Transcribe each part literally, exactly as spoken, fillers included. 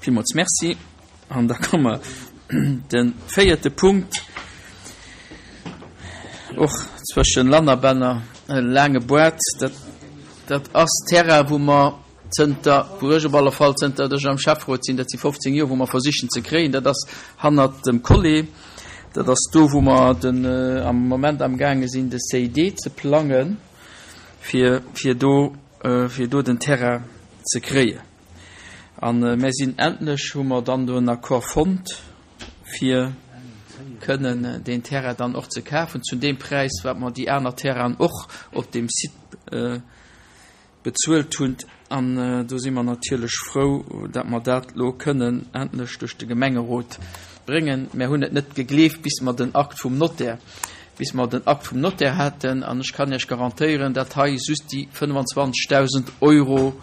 Villmools Merci. An da komme mer de véierte Punkt, och zwëschen Lannerbänner, e laange Boîte. Dat, dat ass Terrain, wou mer zënter, wou ech op alle Fall zënter ech am Schäfferot sinn, dat si fofzéng Joer, wou mer versichen ze kréien. Dat ass hannert dem Collé. Dat ass do, wou mer den, am Moment amgaange sinn, de C I D ze plangen, fir, fir do, fir do den Terrain ze kréien. An mir sinn endlech, hu mer dann do en Accord fonnt, fir kënnen deen Terrain dann och ze kafen, zu deem Präis, wat mer déi aner Terrainen och op deem Site bezuelt hunn. An do si mer natierlech frou, datt mer dat elo kënnen endlech duerch de Gemengerot bréngen. Mir hunn et net gegleeft, bis mer den Akt vum Notaire, bis mer den Akt vum Notaire haten. An ech kann Iech garantéieren, datt hei just déi fënnfanzwanzegdausend Euro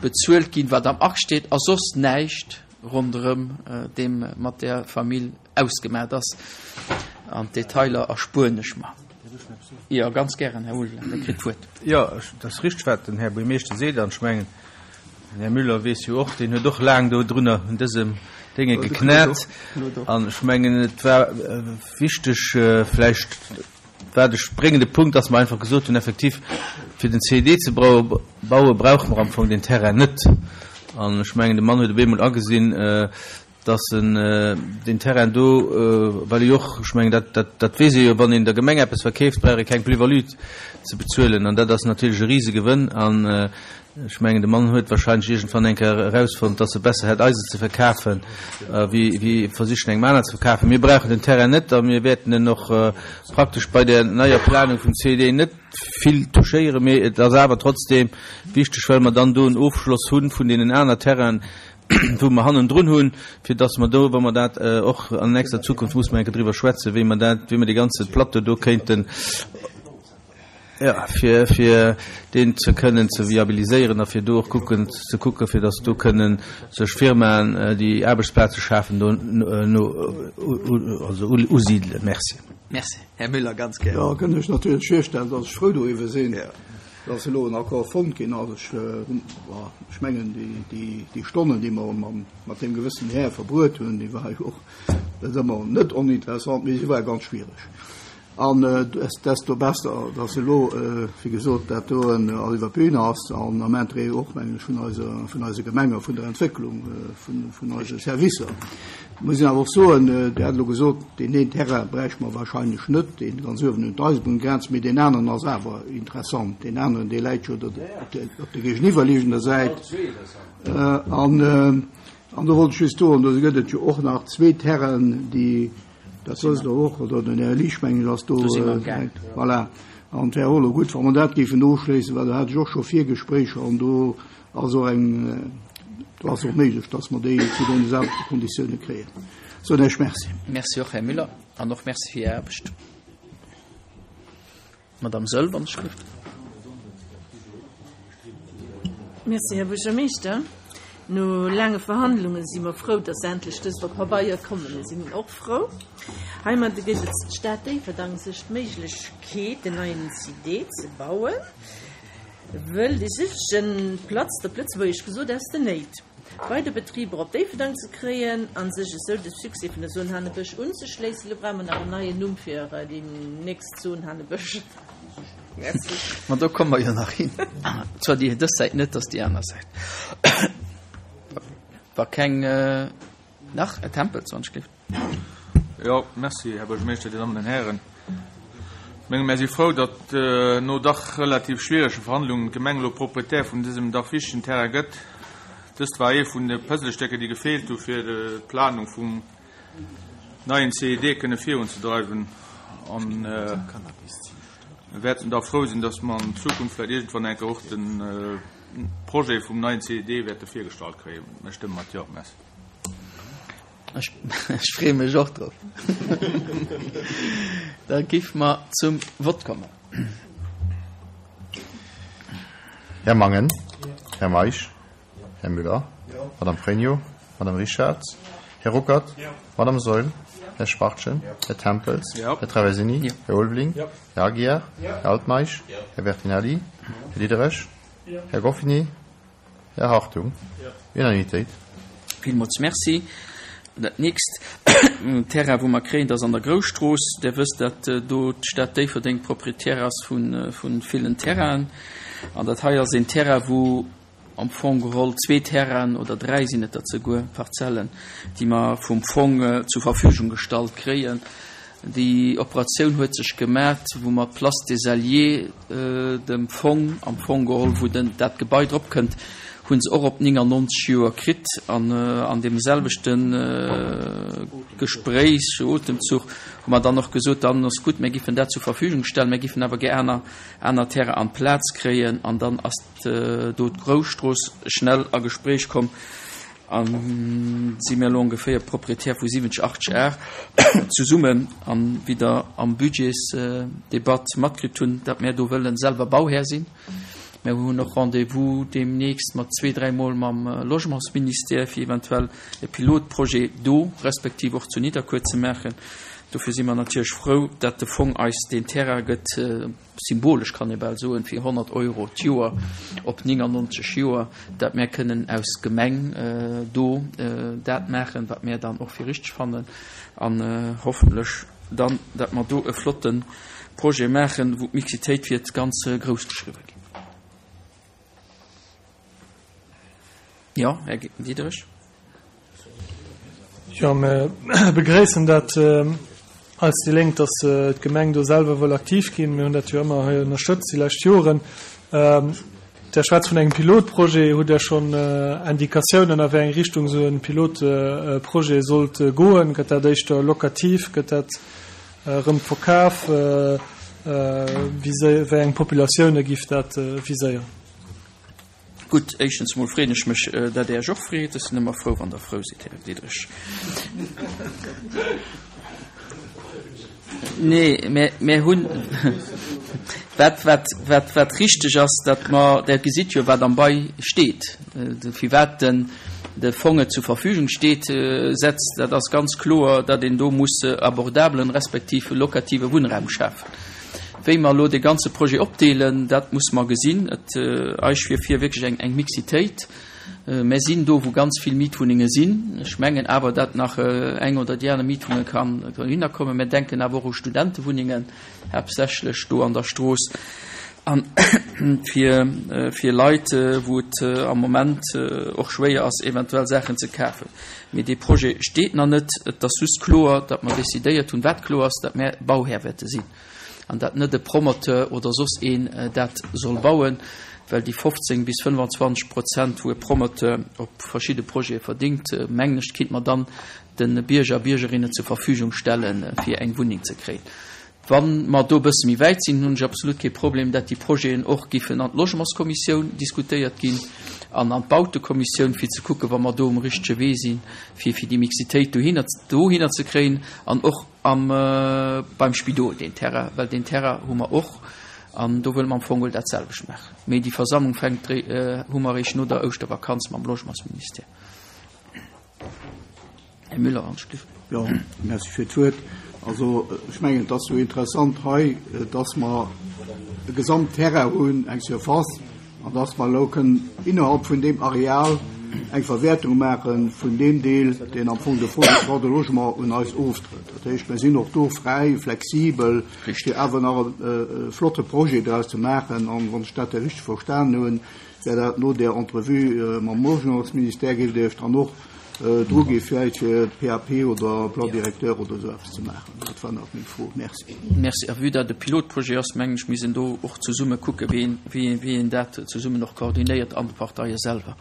bezuelt ginn, wat am Akt steet, a soss näischt ronderëm deem mat där Famill ausgemaat ass. An d'Detailer erspueren ech mer. Jo, ganz gären, Här Ulveling, Der kritt d'Wuert. Jo, et ass richteg, wat den Här Buergermeeschter seet. An ech mengen, den Här Müller weess jo och, deen huet och laang dodrunner un dësem Dénge geknat. An ech mengen, et war wichteg, vläicht war de spréngende Punkt, dass mer einfach gesot hunn, effektiv, fir den C I D ze bauen, brauche mer am Fong deen Terrain net. An ech mengen, de Mann huet op eemol agesinn, dass en deen Terrain do, well e jo och, ech mengen, dat, dat, dat weess ee jo, wann een der Gemeng eppes verkeeft, brauch ee keng Plus-value ze bezuelen. An dat ass natierlech e Risegewënn. An ech mengen, de Mann huet wahrscheinlech iergendwann eng Kéier erausfonnt, dass e besser hätt, eis et ze verkafen, wéi, wéi versichen, engem aner ze verkafen. Mir brauchen den Terrain net a mir wäerten en och praktesch bei der neier Planung vum C I D net vill touchéieren, mee et ass awer trotzdeem wichteg, well mer dann do en Ofschloss hu vun deenen aner Terrainen, wou mer hannendrun hunn, fir dass mer do, wa mer dat och an nächster Zukunft, muss mer eng Kéier driwwer schwätzen, wéi mer dat, wéi mer dee ganze Plateau do kéinten, jo, fir, fir deen ze kënnen ze viabiliséieren a fir do och kucken, ze kucken, fir dass do kënnen sech Firmaen, déi Aarbechtsplaze schafen, do no, also usidelen. Merci. Merci. Här Müller, ganz gär. Jo, kënnt Iech natierlech virstellen, dass ech frou doriwwer sinn, dass elo en Accord fonnt ginn ass. Ech, ech mengen, déi, déi, déi Stonnen, déi mer mam, mat deem gewëssen Här verbruet hunn, déi war jo och net ëmmer net oninteressant, mee si war ganz schwiereg. An desto besser, dass elo, wéi gesot, dat do all iwwer d'Bühn ass an am Interêt och, mengen ech, vun eiser, vun eise Gemenge, vun der Entwécklung vun, vun eise Servicer. Muss een awer och soen, Dir hat elo gesot, deen een Terrain bräichte mer wahrscheinlech net, deen ganz uewen un d'Eisebunngrenz, mee deen aneren ass awer interessant. Deen aneren, dee läit jo op der géigeniwwerliegender Säit. An, an do wollt ech just soen, do gëtt et jo och nach zwee Terrainen, déi, dat wësst Der och, oder den Här Liesch, mengen ech, ass do. Voilà. An et wär och elo gutt, wa mer dat géifen ofschléissen, well do hat ech och scho Virgespréicher an do ass och eng, do ass och méiglech, dass mer déi zu deene selwechte Konditioune kréien. Soen ech Merci. Merci och, Här Müller, an och Merci fir Är Aarbecht. Madame Söll, wann ech gelift. Merci, Här Buergermeeschter. No laange Verhandlunge si mer frou, dass endlech dëst op Pabeier kommen. Mir sinn och frou. Heimat gëtt et d'Stad Déifferdang sech d'Méiglechkeet, en neien C I D ze bauen, wëll déi Südchen platzt, op Lëtzebuergesch gesot, aus den Néit. Weider Betriber op Déifferdang ze kréien an sech esou de Succès vun der Zone Hanebësch unzeschléissen. Lo brauche mer nach en neien Numm fir déi nächst Zone Hanebësch. Merci. Ma do komme mer jo nach hin. Zwar déi dës Säit net, dass déi aner Säit. War keng nach e Tempel zwanzeg. Jo, merci, Här Buergermeeschter, Dir Dammen an Hären. Menge mir si frou, datt no dach relativ schwierege Verhandlungen d'Gemeng elo Proprietär vun dësem dach wichtegen Terrain gëtt. Dëst war ee vun de Puzzlestécker, déi gefeelt hu fir d'Planung vum neien C I D kënne virunzedreiwen. An mir wäerten da frou sinn, datt mer an Zukunft vläicht iergendwann eng Kéier och de Projet vum neien C I D wäerte virgestallt kréien. Mir stëmme mat Jo. Merci. Ech freeë mech och drop. Da giff mer zum Vott kommen. Här Mangen, Här Meisch, Här Müller, Madame Pregno, Madame Richarz, Här Ruckert, Madame Saeul, Här Schwachtgen, Här Tempels, Här Traversini, Här Ulveling, Här Aguiar, Här Altmeisch, Här Bertinelli, Här Diderich, Här Goffini, Här Hartung. Unanimitéit. Villmools Merci. Dat nächst Terrain, wou mer kréien, dat ass an der Grousstrooss. Der wësst, dat do d'Stad Déifferdeng Proprietär ass vun, vun villen Terrainen. An dat hei ass een Terrain, wou am Fong geholl zwee Terrainen oder dräi sinn et der zeguer, Parzellen, déi mer vum Fong zur Verfügung gestallt kréien. Déi Operatioun huet sech gemat, wou mer d'Place des Alliés dem Fong am Fong geholl, wou den, dat Gebai drop kënnt, hunn se och op néngannonzeg Joer kritt an an deem selwechte Gespréich, Otemzuch, hu mer dann och gesot, dann ass gutt, mir giffen dat zur Verfügung stellen, mir giffen awer gär aner, aner Terrain an d'Plaz kréien an dann ass do d'Grousstrooss schnell a Gespréich komm a si mir elo ongeféier Proprietär vu siwwenzeg, achtzeg Ar zesummen an wéi Der am Budgetsdebatt matkritt hunn, datt mir do wëllen selwer Bauhär sinn. Mir hunn och Rendez-vous deemnächst mat zwee, dräi Mol mam Logementsministère, fir eventuell e Pilotprojet do respektiv och zu Nidderkuer ze maachen. Dofir si mer natierlech frou, datt de Fong eis deen Terrain gëtt, symbolesch kann ee bal soen, fir honnert Euro d'Joer op néngannonzeg Joer, datt mär kënnen aus Gemeng do dat maachen, wat mär dann och fir richteg fannen an hoffentlech dann, datt mer do e flotte Projet maachen, wou d'Mixitéit wäert ganz grouss geschriwwe ginn. Jo, Här Diderich. Jo, mir begréissen dat als déi Lénk, dass d'Gemeng do selwer wëll aktiv ginn. Mir hunn dat jo ëmmer hei ënnerstëtzt déi lescht Joren. Der schwätzt vun engem Pilotprojet. Hutt Der schonn Indikatiounen, a wéi eng Richtung esou e Pilotprojet sollt goen? Gëtt dat éischter lokativ? Gëtt dat erëm verkaf? Wéi eng Populatioune giff dat viséieren? Gutt, éischtens emol freeën ech mech, dat Dir Iech och freet. Ech sinn ëmmer frou, wann Der frou sidd, Här Diderich. Nee, mä mir hunn, wat, wat, wat, wat richteg ass, datt mer, Der gesitt jo, wat am Bail steet, firwat den, de Fong et zur Verfügung steet, setzt, dat ass ganz kloer, datt een do muss abordabelen respektiv lokative Wunnraum schafen. Wéi mer elo dee ganze Projet opdeelen, dat muss mer gesinn. Et eis wier vir wierklech eng, eng Mixitéit. Mer sinn do, wou ganz vill Mietwunnenge sinn. Ech mengen awer, datt nach eng oder déi aner Mietwunnge kann dohinner kommen. Mer denken awer och u Studentewunnengen, haaptsächlech do an der Strooss. An fir, fir Leit, wou et am Moment och schwéier ass, eventuell Saachen ze kafen. Mee dee Projet steet nach net. Et ass just kloer, datt mer decidéiert hunn, wat kloer ass, datt mer Bauhär wäerte sinn an datt net e Promoteur oder soss een dat soll bauen, well déi fofzéng bis fënnfanzwanzeg Prozent, wou e Promoteur op verschidde Projete verdingt, mengen ech, kinnt mer dann de Bierger a Biergerinnen zur Verfügung stellen, fir eng Wunneng ze kréien. Wa mer do e bësse méi wäit sinn, hunn ech absolut kee Problem, dat déi Projeten och giffen an d'Logementskommissioun diskutéiert ginn an an d'Bautekommissioun, fir ze kucken, wa mer do um richtege Wee sinn, fir fir déi Mixitéit dohinner, dohinner ze kréien an och am, beim Spidol deen Terrain, well deen Terrain hu mer och an do wëlle mer am Fong geholl dat selwecht maachen. Mee déi Versammlung fänkt, hu mer eréischt no der Ouschtervakanz mam Logementsministère. Här Müller, Anschliff. Jo, merci fir d'Wuert. Also, ech mengen, et ass jo interessant hei, dass mer e Gesamtterrain hunn, eng Surface, an dass mer elo kënnen innerhalb vun deem Areal eng Verwäertung maache vun deem Deel, deen am Fong de Fonds de droit de logement un eis oftrëtt. Dat heescht, mir sinn och do fräi, flexibel, fir awer nach e flotte Projet draus ze maachen. An wann ech dat richteg verstanen hunn, wär dat no där Entrevue mam Logementsministère, géift Dir Iech dann och dru gi vläicht fir P A P oder Plan directeur oder esou eppes ze maachen. Dat war nach meng Fro. Merci. Merci. A vue dat e Pilotprojet ass, mengen ech, misst een do och zesumme kucken, wéi een, wéi een, wéi een dat zesummen och koordinéiert an de Parteie selwer.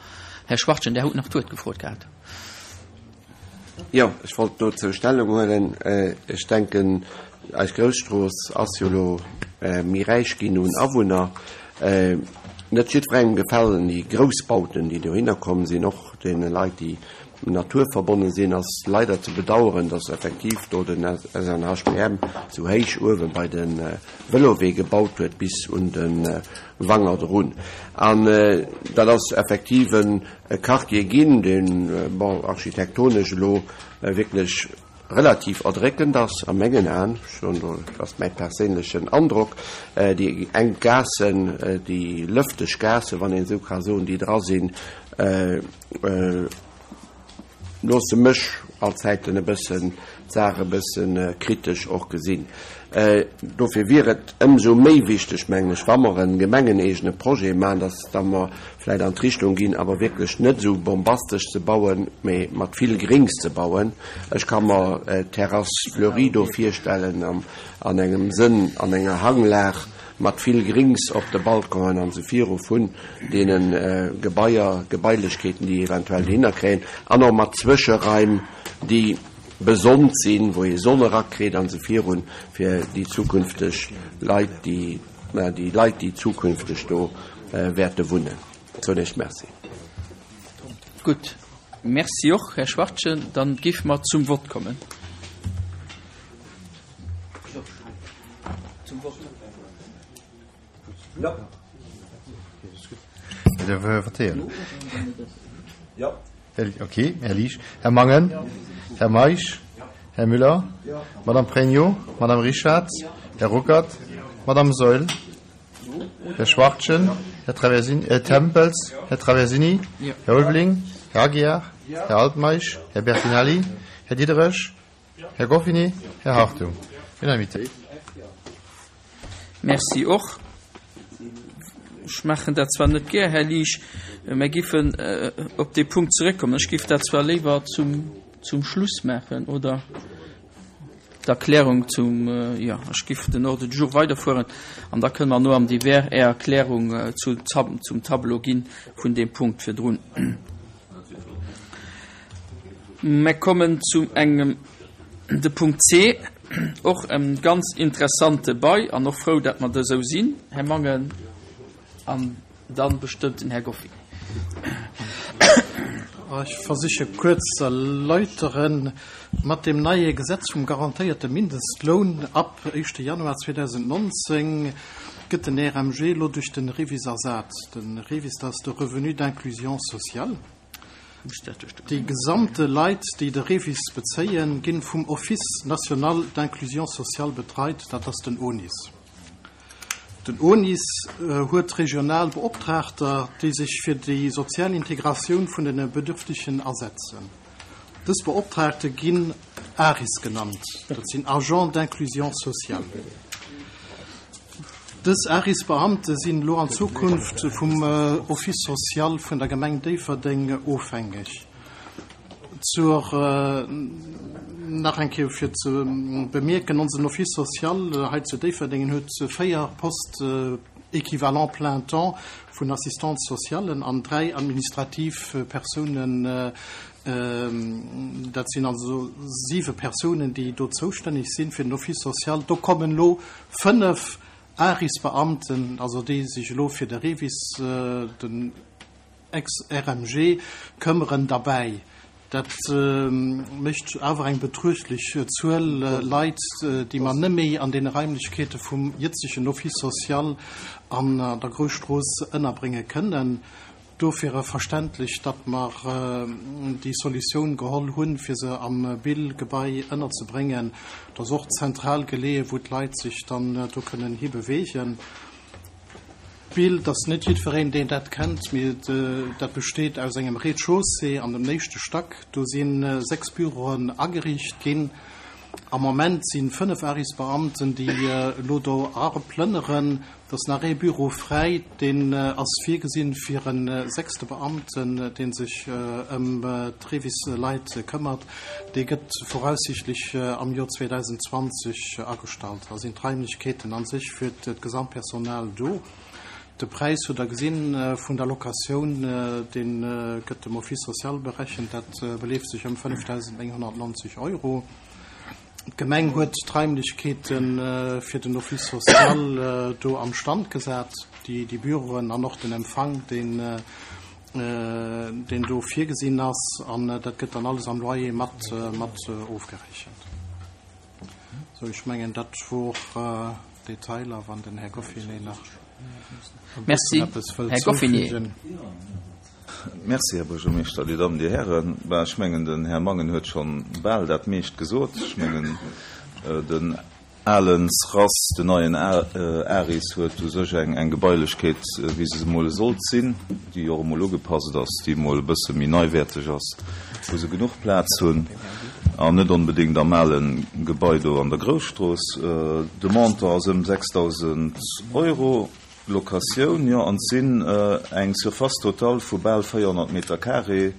Här Schwachtgen, Där hutt nach d'Wuert gefrot gehat. Jo, ech wollt dozou Stellung huelen. Ech denken, eis Grousstrooss ass jo elo méi räich ginn un Awunner. Net jiddwerengem gefalen déi Groussbauten, déi dohinner komm sinn, och deene Leit, déi naturverbonnen sinn, ass leider ze bedauern, dass effektiv do den S N H P M sou héich uewe bei de Vëlowee gebaut huet bis un de Wanger drun. An dat ass effektiv en Quartier ginn, deen, bon, architektonesch elo wierklech relativ erdréckend ass, a mengen Aen, schon do, dat ass mäi perséinlechen Androck, déi eng Gaassen, déi lëfteg Gaassen, wann een esou ka soen, déi dra sinn, loosse mech allzäiten e bëssen d'Saach e bëssen kritesch och gesinn. Dofir wier et ëmsou méi wichteg, mengen ech, wa mer e gemengeneegene Projet maachen, dass da mer vläicht an d'Richtung ginn, awer wierklech net esou bombastesch ze bauen, mee mat vill Grings ze bauen. Ech ka mer d'Terrasse fleurie do virstellen an engem Sënn, an enger Hanglag mat vill Grings op de Balconen an esou viru vun deene Gebaier, Gebailechkeeten, déi eventuell dohinner kréien, an och mat Zwëscheraim, déi besonnt sinn, wou ee Sonn erakritt an esou virun, fir déi zukünfteg Leit, déi, déi Leit, déi zukünfteg do wäerte wunnen. Soen ech Merci. Gutt, Merci och, Här Schwachtgen. Dann géife mer zum Vott kommen. Zum Vott. Jo. Okay, Här Liesch. Här Mangen? Här Meisch? Här Müller? Madame Pregno? Madame Richarz? Här Ruckert? Madame Saeul? Här Schwachtgen? Här Traversini, äh, Tempels? Här Traversini? Här Ulveling? Här Aguiar? Här Altmeisch? Här Bertinelli? Här Diderich? Här Goffinet? Här Hartung? Unanimitéit. Merci och. Ech maachen dat zwar net gär, Här Liesch, mä giffen op dee Punkt zeréckkommen. Ech giff dat zwar léiwer zum, zum Schluss maachen, oder d'Erklärung zum, jo, ech giff den Ordre du jour weiderfueren an da kënne mer no am Divers Är Erklärung zu, zum Tableau gi vun deem Punkt virdrun. Mer kommen zu engem, de Punkt C, och e ganz interessante Bail an och frou, dat mer do esou sinn, Här Mangen, an dann bestëmmt den Här Goffinet. Ech versiche kuerz ze erläuteren, Mat deem neie Gesetz vum garantéierte Mindestloun ab éischte Januar zweedausendnonzéng gëtt den R M G elo duerch de REVIS ersat. De REVIS, dat ass de Revenu d'inclusion sociale. Déi gesamte Leit, déi de REVIS bezéien, ginn vum Office national d'inclusion sociale betreit, dat ass den O N I S. Den O N I S huet regional Beoptraagter, déi sech fir déi sozial Integratioun vun den Bedürftigen asetzen. Dës Beoptraagte ginn A R I S genannt, dat sinn Agents d'inclusion sociale. Dës A R I S-Beamte sinn elo an Zukunft vum Office social vun der Gemeng Déifferdeng ofhängeg. Zur, nach eng Kéier fir ze bemierken, onsen Office social hei zu Déifferdeng huet véier Postes équivalent plein temps vun Assistance socialen an dräi administrativ Persounen, dat sinn also siwe Persounen, déi do zoustänneg sinn fir den Office social. Do kommen elo fënnef A R I S-Beamten, also déi sech elo fir de REVIS, den Ex-R M G, këmmeren derbäi. Dat mécht awer eng betruechtlech Zuel Leit, déi mer net méi an den Raimlechkeete vum jëtzegen Office social an der Grousstrooss ënnerbrénge kënnen. Dofir verständlech, datt mer déi Solutioun geholl hunn, fir se am Bill-Gebai ënnerzebréngen. Dat ass och zentral geleeën, wou d'Leit sech dann do kënnen hibewegen. Bill, das ass net jiddwereen, deen dat kennt, mee dat besteet aus engem Rez-de-chaussée an dem nächste Stack. Do si sechs Büroen ageriicht ginn. Am Moment sinn fënnef A R I S-Beamten, déi elo do plënneren. Dat ass nach ee Büro fräi, deen ass virgesinn fir en sechste Beamten, deen sech ëm d'Revis-Leit këmmert. Dee gëtt voraussichtlech am Joer zweetausendzwanzeg agestallt. Da sinn d'Raimlechkeeten an sech fir d'Gesamtpersonal do. De Preis huet der gesinn vun der Locatioun, deen gëtt dem Office social berechent, dat beleeft sech ëm fënnefdausendnénghonnertneunzeg Euro. D'Gemeng huet d'Raimlechkeeten fir den Office social do am Stand gesat, déi, déi Büroen an och den Empfang, deen, deen do virgesinn ass, an dat gëtt dann alles am Loyer mat, mat ofgerechent. So, ech mengen, dat wor Detailer, wann den Här Goffinet nach Merci, eppes wëllt Här Goffinet. zufügen. Merci, Här Buergermeeschter, Dir Damen, Dir Herren. Bah, ech mengen, den Här Mangen huet schon bal dat meescht gesot. Ech mengen, den alen SRAS, den neien ARIS huet u sech eng eng Gebailechkeet, wéi se emol sollt sinn, déi och emol ugepasst ass, déi emol e bësse méi neiwäerteg ass, wou se genuch Plaz hunn an net onbedéngt am ale Gebai do an der Grousstrooss. De Montant ass ëm sechsdausend Euro. Locatioun, jo, an et sinn eng Surface totale vu bal véierhonnert Meter carré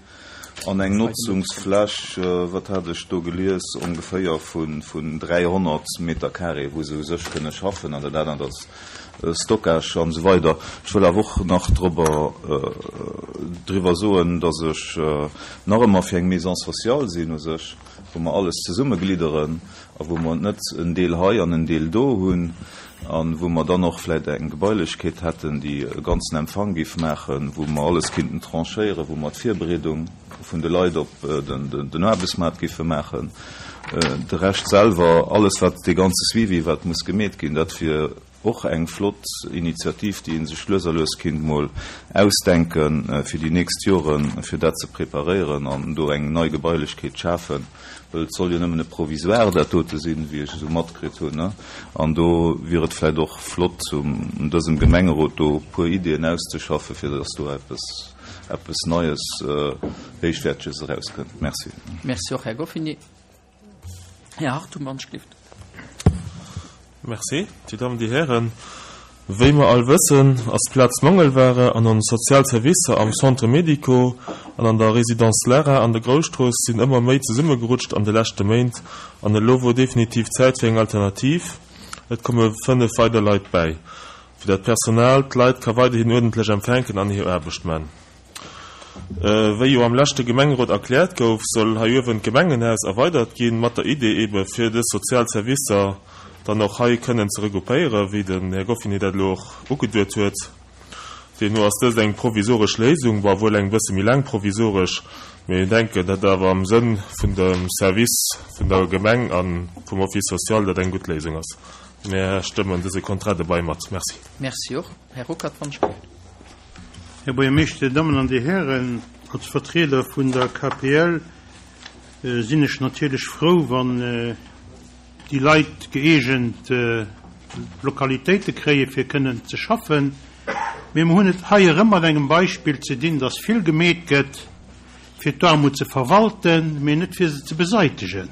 an eng Notzungsfläch, wat hat ech do gelies, ongeféier vun dräihonnert Meter carré, wou se u sech kënne schaffen an dat anert ass Stockage an esou weider. Ech wëll awer och nach drobber, driwwer soen, dass ech nach ëmmer fir eng Maison sociale sinn u sech, wou mer alles zesummeglidderen a wou mer net en Deel hei an en Deel do hunn a wou mer dann och vläicht eng Gebailechkeet hätten, déi e ganzen Empfang géif maachen, wou mer alles kinnten tranchéieren, wou mer d'Virbereedung vun de Leit op den Aarbechtsmaart géife maachen. De Rescht selwer, alles wat dee ganze Suivi, wat muss gemeet ginn, dat wier och eng flott Initiativ, déi ee sech lues a lues kinnt mol ausdenken fir déi nächst Joren, fir dat ze preparéieren an do eng nei Gebailechkeet schafen, well et soll jo nëmmen e Provisoire dat dote sinn, wéi ech esou matkritt hunn. An do wier et vläicht och flott, un dësem Gemengerot do e puer Ideeën auszeschaffen, fir dass do eppes, eppes Neies, Héichwäerteges erauskënnt. Merci. Merci och, Här Goffini. Här Hartung, wann ech gelift. Merci, Dir Dammen, Dir Hären. Wéi mer all wëssen, ass Plaz Mangelware an ons sozial Servicer am Centre médico an an der Résidence Lara an der Grousstrooss sinn ëmmer méi zesummegerutscht an de leschte Méint an elo wor definitiv Zäit fir eng Alternativ. Et komme fënnef weider Leit bäi, fir dat Personal d'Leit ka weiderhin uerdentlech empfänken an hir Aarbecht man. Wéi jo am leschte Gemengerot erkläert gouf, soll hei uewen d'Gemengenhaus erweidert ginn, mat der Idee ebe fir dës sozial Servicer dann och hei kënnen ze regroupéieren, wéi den Här Goffinet dat elo och ugeduet huet. Deemno ass dëst eng provisoresch Léisung, bon, wuel eng bësse méi laang provisoresch, mee mir denken, datt awer am Sënn vun dem Service vun der Gemeng a vum Office social dat eng gutt Léisung ass. Mir stëmmen dëse Contrat de bail mat. Merci. Merci och. Här Ruckert, wann ech gelift. Här Buergermeeschter, Dir Dammen an Dir Hären, als Vertrieder vun der K P L sinn ech natierlech frou, wann déi Leit gëeegent Lokalitéite kréie fir kënnen ze schaffen. Mee mer hunn et hei erëm mat engem Beispill ze dinn, dass vill gemeet gëtt, fir d'Aarmut ze verwalten, mee net fir se ze beseitegen.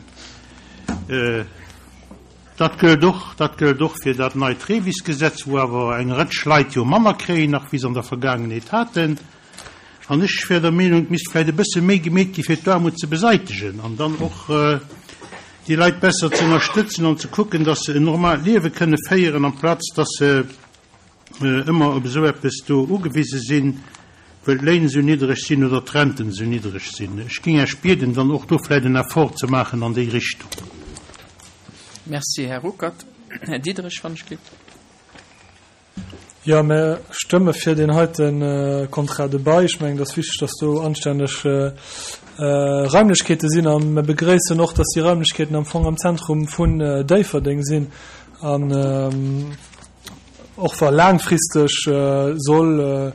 Dat gëllt och, dat gëllt och fir dat neit REVIS-Gesetz, wou awer eng Rëtsch Leit jo manner kréien nach, wéi se an der Vergaangenheet haten. An ech wär der Meenung, et misst vläicht e bësse méi gemeet gi fir d'Aarmut ze beseitegen an dann och déi Leit besser ze ënnerstëtzen an ze kucken, dass se en normaalt Liewe kënne féieren, amplaz dass se ëmmer op esou eppes do ugewise sinn, well d'Léin esou niddreg sinn oder d'Renten esou niddreg sinn. Ech géing Iech bieden, dann och do vläicht en Effort ze maachen an déi Richtung. Merci, Här Ruckert. Här Diderich, wann ech gelift. Jo, mir stëmme fir deen heite Contrat de bail. Ech mengen, et ass wichteg, dass do anstänneg Raimlechkeete sinn. A mir begréissen och, dass déi Raimlechkeeten am Fong am Zentrum vun Déifferdeng sinn. An och wa laangfristeg soll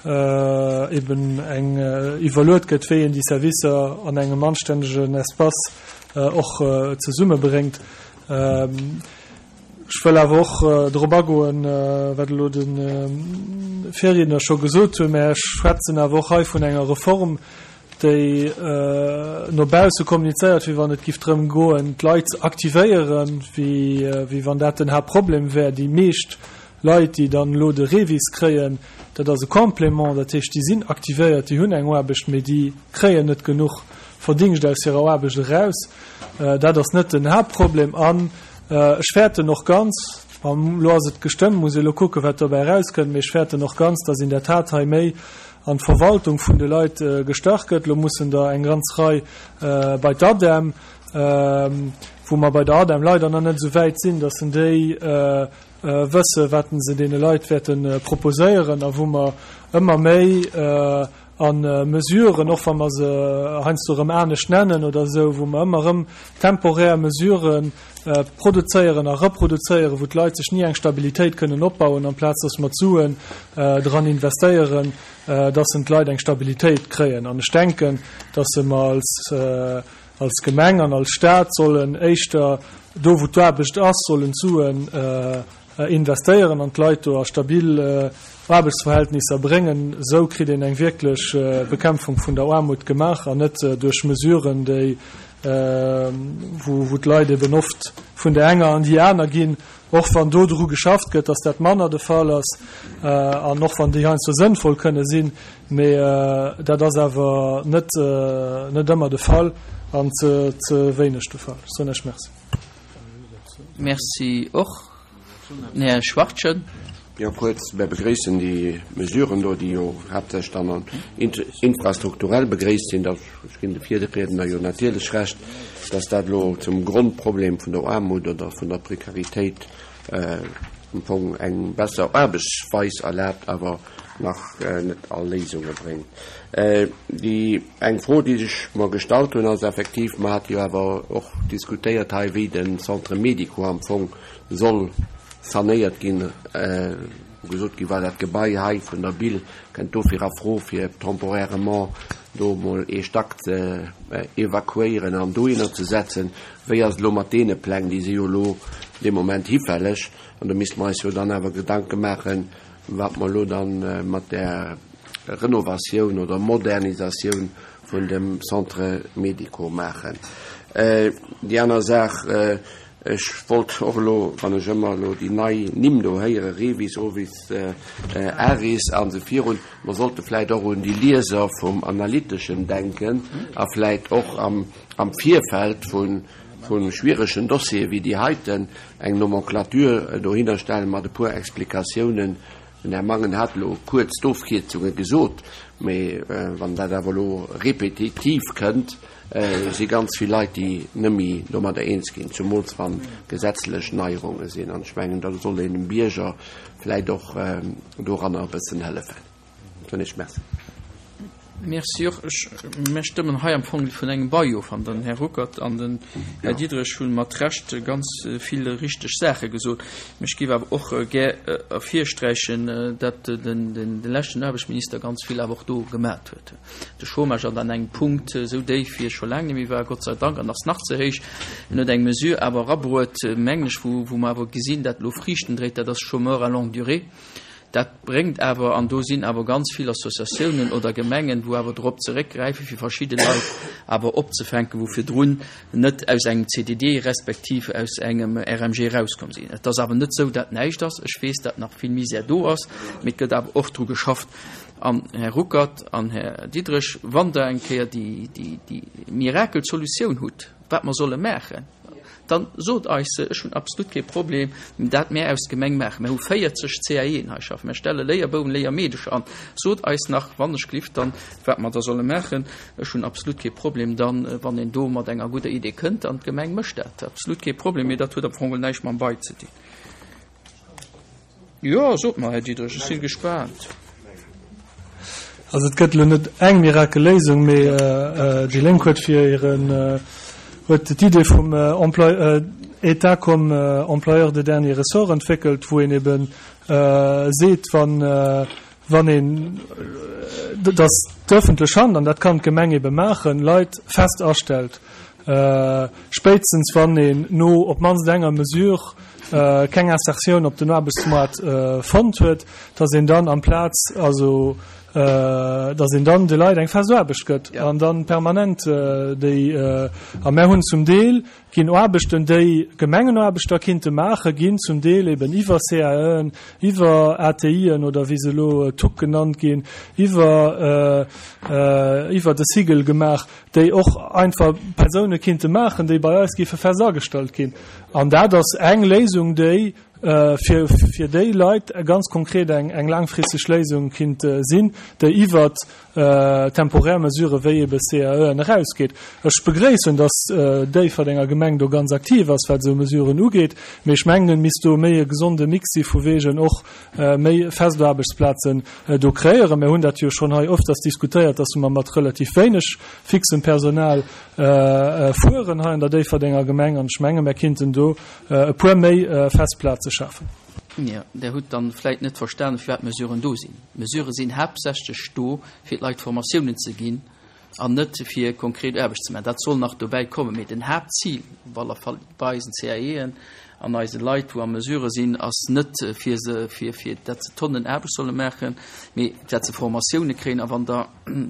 eben eng iwwerluet gëtt, wéi een déi Servicer an engem anstännegen Espace och zesummebréngt. Ech wëll awer och drop agoen, wat elo de Virriedner scho gesot huet, mä ech schwätzen awer och hei vun enger Reform, déi no bausse kommunizéiert, wéi wann et giff drëm goen, d'Leit ze aktivéieren, wéi wann dat den Haaptproblem wär. Déi meescht Leit, déi dann elo de REVIS kréien, dat ass e Complément, dat heescht, déi sinn aktivéiert, déi hunn eng Aarbecht, mee déi kréien net genuch Verdingscht aus hirer Aarbecht eraus. Dat ass net den Haaptproblem. An ech fäerten och ganz, elo ass et gestëmmt, muss ee elo kucken, wat dobäi erauskënnt, mee ech fäerten och ganz, dass in der Tat hei méi an d'Verwaltung vun de Leit gestach gëtt. Elo mussen der eng ganz Rei bei d'ADEM, wou mer bei der ADEM leider nach net esou wäit sinn, dass en déi wësse wat se deene Leit wäerte proposéieren a wou mer ëmmer méi A Mesuren, och wa mer se heiansdo erëm anescht nennen oder esou, wou mer ëmmer erëm temporär Mesurë produzéieren a reproduzéieren, wou d'Leit sech ni eng Stabilitéit kënnen opbauen, amplaz dass mer d'Suen dran investéieren, dass en d'Leit eng Stabilitéit kréien. An ech denken, dass mer als, als Gemeng an als Stat sollen éischter do, wou d'Aarbecht ass, sollen d'Suen investéieren an d'Leit do a stabil Aarbechtsverhältnisser bréngen. Esou kritt een eng wierklech Bekämpfung vun der Aarmut gemaach an net duerch Mesuren, déi, wou d'Leit eben oft vun där enger an déi aner ginn, och wann do dru geschafft gëtt, dass dat manner de Fall ass an och wann déi heiansdo sënnvoll kënne sinn, mee dat ass awer net net ëmmer de Fall an ze ze wéineg de Fall. Ech soen Iech Merci. Merci och. Den Här Schwachtgen. Jo, kuerz, Mir begréissen déi Mesuren do, déi jo haaptsächlech dann infrastrukturell begréisst sinn. Ech ginn de Virriedner jo natierlech Recht, dass dat elo zum Grondproblem vun der Aarmut oder vun der Prekaritéit am Fong eng besser Aarbechtsweis erlaabt, awer nach net all Léisunge bréngt. Déi eng Fro, déi sech mer gestallt hunn, ass effektiv, mer hate jo awer och diskutéiert hei, wéi de Centre médico am Fong soll sanéiert ginn, wou gesot gi war, dat Gebai hei vun der Bille kënnt dofir a Fro, fir temporairement do emol ee Stack ze evakuéieren an dohinner ze setzen. Wéi ass et elo mat deene Pläng? Déi si jo elo dee Moment hifälleg. An do misste mer eis jo dann awer Gedanke maachen, wat mer elo da mat där Renovatioun oder Modernisatioun vun dem Centre médico maachen. Déi aner Saach, Ech wollt och elo, wann ech ëmmer elo déi nei Nimm do héieren, Revis, Ovis, Aris a sou virun, mer sollte vläicht och un déi Lieser vum Analyteschen denken a vläicht och am Virfeld vu schwieregen Dossiere wéi déi heiten eng Nomenclature dohinnerstellen mat e puer Explikatiounen. Den Här Mangen hat elo kuerz d'Ofkierzunge gesot, mee wann dat awer elo repetitiv kënnt, si ganz vill Leit, déi net méi domadder eens ginn, zumools wa gesetzlech Neierunge sinn. An ech mengen, da soll een dem Bierger vläicht och doranner e bëssen hëllefen. Soen ech Merci. Merci och. Ech, mir stëmmen hei am Fong vun engem Bail of, an den Här Ruckert an den Här Diderich hu mat Recht ganz vill richteg Saache gesot. Mä ech géif awer och gär ervirsträichen, datt den, den leschten Aarbechtsminister ganz vill awer och do gemat huet. De Chômage ass an engem Punkt esou déif, wéi e scho laang net méi war, Gott sei Dank, an ass nach ze héich. En huet eng Mesure awer erabruet, mengen ech, wou, wou mer awer gesinn, dat elo Friichten dréit, dat ass Chômeurs à longue durée. Dat bréngt awer, an do sinn awer ganz vill Associatiounen oder Gemengen, wou awer drop zeréckgräifen, fir verschidde Leit awer opzefänken, wou virdrun net aus engem C D D respektiv aus engem R M G erauskomm sinn. Et ass awer net esou, dat näischt ass. Ech weess, dat nach vill Misär do ass, mee et gëtt awer och dru geschafft. An Här Ruckert an Här Diderich, wann Der eng Kéier déi, déi, déi Mirakelsolutioun hutt, wat mer solle maachen, dann sot eis se, ech hunn absolut kee Problem, dat mär aus Gemeng maachen. Mir hu véierzeg C A E'en hei schaffen, mir stelle Léierbouwen, Léiermeedecher an. Sot eis nach, wann ech glift, dann, wat mer da solle maachen. Ech hunn absolut kee Problem dann, wann een do mat enger gudder Idee kënnt, an d'Gemeng mécht dat. Absolut kee Problem, mee dat huet am Fong näischt mam Bail ze dinn. Jo, sot mer, Här Diderich, ech si gespaant. Also et gëtt elo net eng Mirakelléisung, mee déi Lénk huet fir hiren, huet d'Idee vum Emploi, État comme employeur de dernier ressort entwéckelt, wou een eben seet, wann, wann een, datt d'öffentlech Hand, an dat kann d'Gemeng ebe maachen, Leit fest astellt, spéitstens wann een no op d'mannst enger Mesure keng Insertioun op den Aarbechtsmoart fonnt huet, datt een dann amplaz, also datt een dann de Leit eng fest Aarbecht gëtt an dann permanent déi, a mär hunn zum Deel ginn Aarbechten, déi Gemengenaarbechter kinnte maachen, ginn zum Deel eben iwwer C A En, iwwer A T Ien oder wéi se elo T U C genannt ginn, iwwer iwwer de Sigel gemaach, déi och einfach Persoune kinnte maachen, déi bei eis géife fest agestallt ginn. An dat ass eng Léisung, déi fir, fir déi Leit ganz konkret eng, eng laangfristeg Léisung kinnt sinn, déi iwwert temporär Mesurë wéi ebe C A Eën erausgeet. Ech begréissen, dass d'Déifferdenger Gemeng do ganz aktiv ass, wat esou Mesuren ugeet, mee ech mengen, et misst do méi e gesonde Mix si vu wegen och méi fest Aarbechtsplazen do kreéieren. Mir hunn dat jo schonn hei öfters diskutéiert, dass mer mat relativ wéineg fixem Personal fueren hei an der Déifferdenger Gemeng, an ech menge mir kinnten do e puer méi fest Plaze schafen. Jo, Der hutt dann vläit net verstanen, firwat Mesuren do sinn. Mesurë sinn haaptsächlech do, fir d'Leit Formatiounen ze ginn an net fir konkret Aarbecht ze maachen. Dat soll nach dobäi kommen, mee den Haaptzil, op alle Fall bei eisen C A Eën an eise Leit, wou a Mesurë sinn, ass net fir se, fir, fir dat se Tonnen Aarbecht solle maachen, mee dat se Formatioune kréien. A wann Der,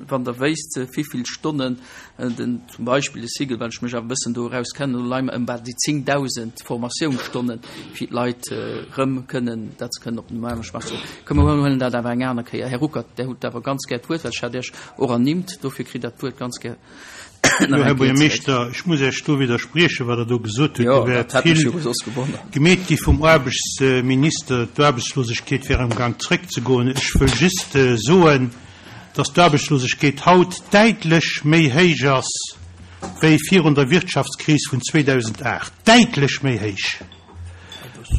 wann Der wéisst, wéivill Stonnen den, zum Beispill de Cycle, well ech mech awer e bëssen do erauskennen, do leie mer ëm bal déi zéngdausend Formatiounsstonnen, fir d'Leit erëm kënnen, dat se kënnen op den Aarbechtsmarkt soen. Komm, mer huelen dat awer eng aner Kéier. Här Ruckert, Der hutt awer ganz gär d'Wuert, well ech hat Iech och ernimmt, dofir kritt Der d'Wuert ganz gär. Jo, Här Buergermeeschter, ech muss Iech do widderspriechen, wat Der do gesot hutt. Do wär vill gemeet gi vum Aarbechtsminister, d'Aarbechtslosegkeet wär amgaang zréckzegoen. Ech wëll just soen, dass d'Aarbechtslosegkeet haut däitlech méi héich ass wéi virun der Wirtschaftskris vun zweedausendacht. Däitlech méi héich!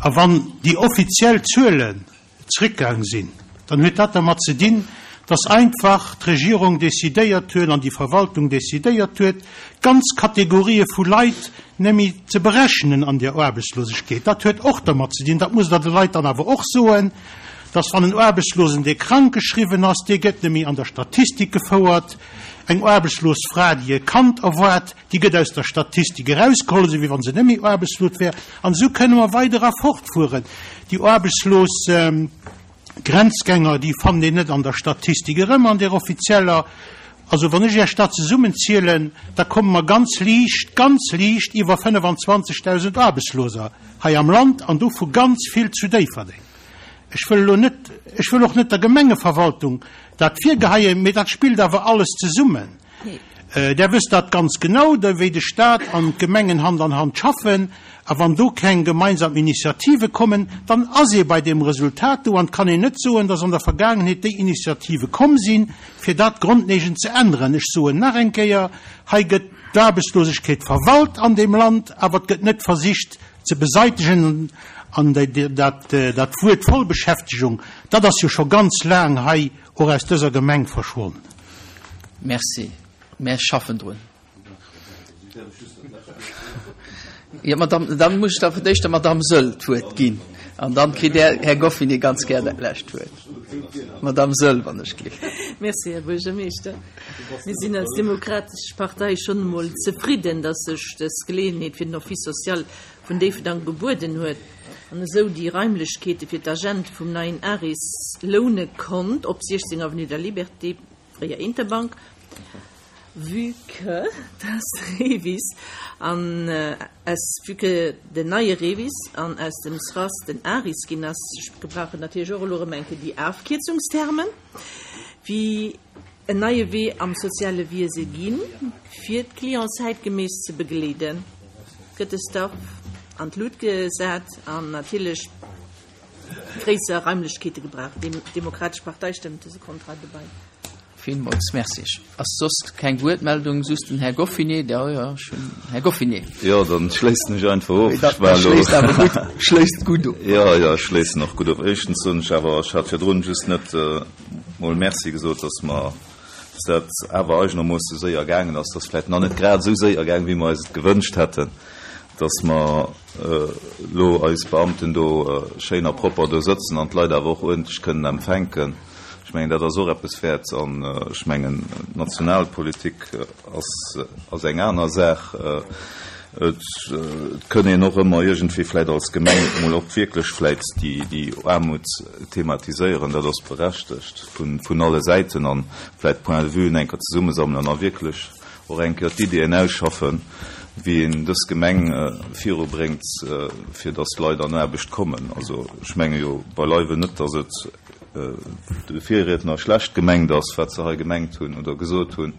A wann déi offiziell Zuelen zréckgaang sinn, dann huet dat dermat ze dinn, dass einfach d'Regierung decidéiert huet an déi Verwaltung decidéiert huet, ganz Kategorië vu Leit net méi ze berechnen an der Aarbechtslosegkeet. Dat huet och dermat ze dinn, dat musst Der de Leit dann awer och soen, dass wann en Aarbechtslosen, dee krank geschriwwen ass, dee gëtt net méi an der Statistik gefouert, eng aarbechtslos Fra, déi e Kand erwaart, déi gëtt aus der Statistik erausgeholl, esou wéi wa se net méi aarbechtslos wär. An esou kënne mer weider a fortfueren. Déi aarbechtslos Grenzgänger, déi fannt een net an der Statistik erëm, an där offizieller. Also wann ech Iech dat zesummenzielen, da komme mer ganz liicht, ganz liicht iwwer fënnefanzwanzegdausend Aarbechtsloser hei am Land an dovu ganz vill zu Déifferdeng. Ech wëll elo net, ech wëll och net der Gemengeverwaltung dat virgeheien, mee dat spillt awer alles zesummen. Der wësst dat ganz genau, wéi de Staat an d'Gemengen Hand an Hand schaffen. A wann do keng gemeinsam Initiative kommen, dann ass ee bei deem Resultat do. An et kann een net soen, dass an der Vergaangenheet déi Initiative komm sinn, fir dat grondlegend ze änneren. Ech soen nach eng Kéier, Hei gëtt d'Aarbechtslosegkeet verwalt an deem Land, awer et gëtt net versicht ze beseitegen. An dat dat Wuert Vollbeschäftegung, dat ass jo scho ganz laang hei och aus dëser Gemeng verschwonn. Merci. Mär schaffen drun. Jo, Madame, dann muss ech da fir d'éischt der Madame Söll d'Wuert ginn an dann kritt Här, Här Goffinet ganz gär dat lescht Wuert. Madame Söll, wann ech gleef. Merci, Här Buergermeeschter. Mir sinn als Demokratesch Partei schonn emol zefridden, dass sech dës Geleeënheet fir den Office social vun Déifferdang gebueden huet an esou déi Raimlechkeete fir d'Agente vum neien ARIS loune konnt op siechzéng Avenue de la Liberté, fréier Interbank, vue que dass de REVIS an aus, vue que den neie REVIS an aus dem SRAS den ARIS ginn ass. Ech gebrauchen natierlech och elo erëm eng Kéier déi Afkierzungstermen, wéi en neie Wee am soziale Wiese ginn, fir d'Clienten zäitgeméiss ze begleeden, gëtt de Staff an d'Lut gesat an natierlech gréisser Raimlechkeete gebraucht. D'Demokratesch Partei stëmmt dëse Contrat dobäi. Villmools Merci. Ass soss keng Wuertmeldung? Just den Här Goffinet. Jo, jo, ech hunn Här Goffinet. Jo, dann schléissen ech einfach of. Ech war elo. Schléisst awer gutt, schléisst gutt of. Jo, jo, ech schléissen och gutt of. Éischtens soen ech awer, ech hat virdrun just net mol Merci gesot, dass mer, dass dat awer eigenermoosse séier gaangen ass. Dass vläicht nach net grad esou séier gaangen, wéi mer eis et gewënscht hätten, dass mer elo eis Beamten do schéin a propper do sëtzen an d'Leit awer och uerdentlech kënnen empfänken. Ech mengen, dat ass och eppes wäert. An ech mengen, d'Nationalpolitik ass, ass eng aner Saach. Et kënn een och ëmmer iergendwéi vläicht als Gemeng emol och wierklech vläicht déi, déi Aarmut thematiséieren. Dat ass berechtegt vun, vun alle Säiten an vläicht Points de vuen eng Kéier zesummesammelen a wierklech och eng Kéier d'Iddien ausschaffen, wéi een dës Gemeng virubréngt, fir dass d'Leit an Aarbecht kommen. Also ech menge jo beileiwen net, dass et de Virriedner schlecht gemengt ass, wat se hei gemengt hunn oder gesot hunn.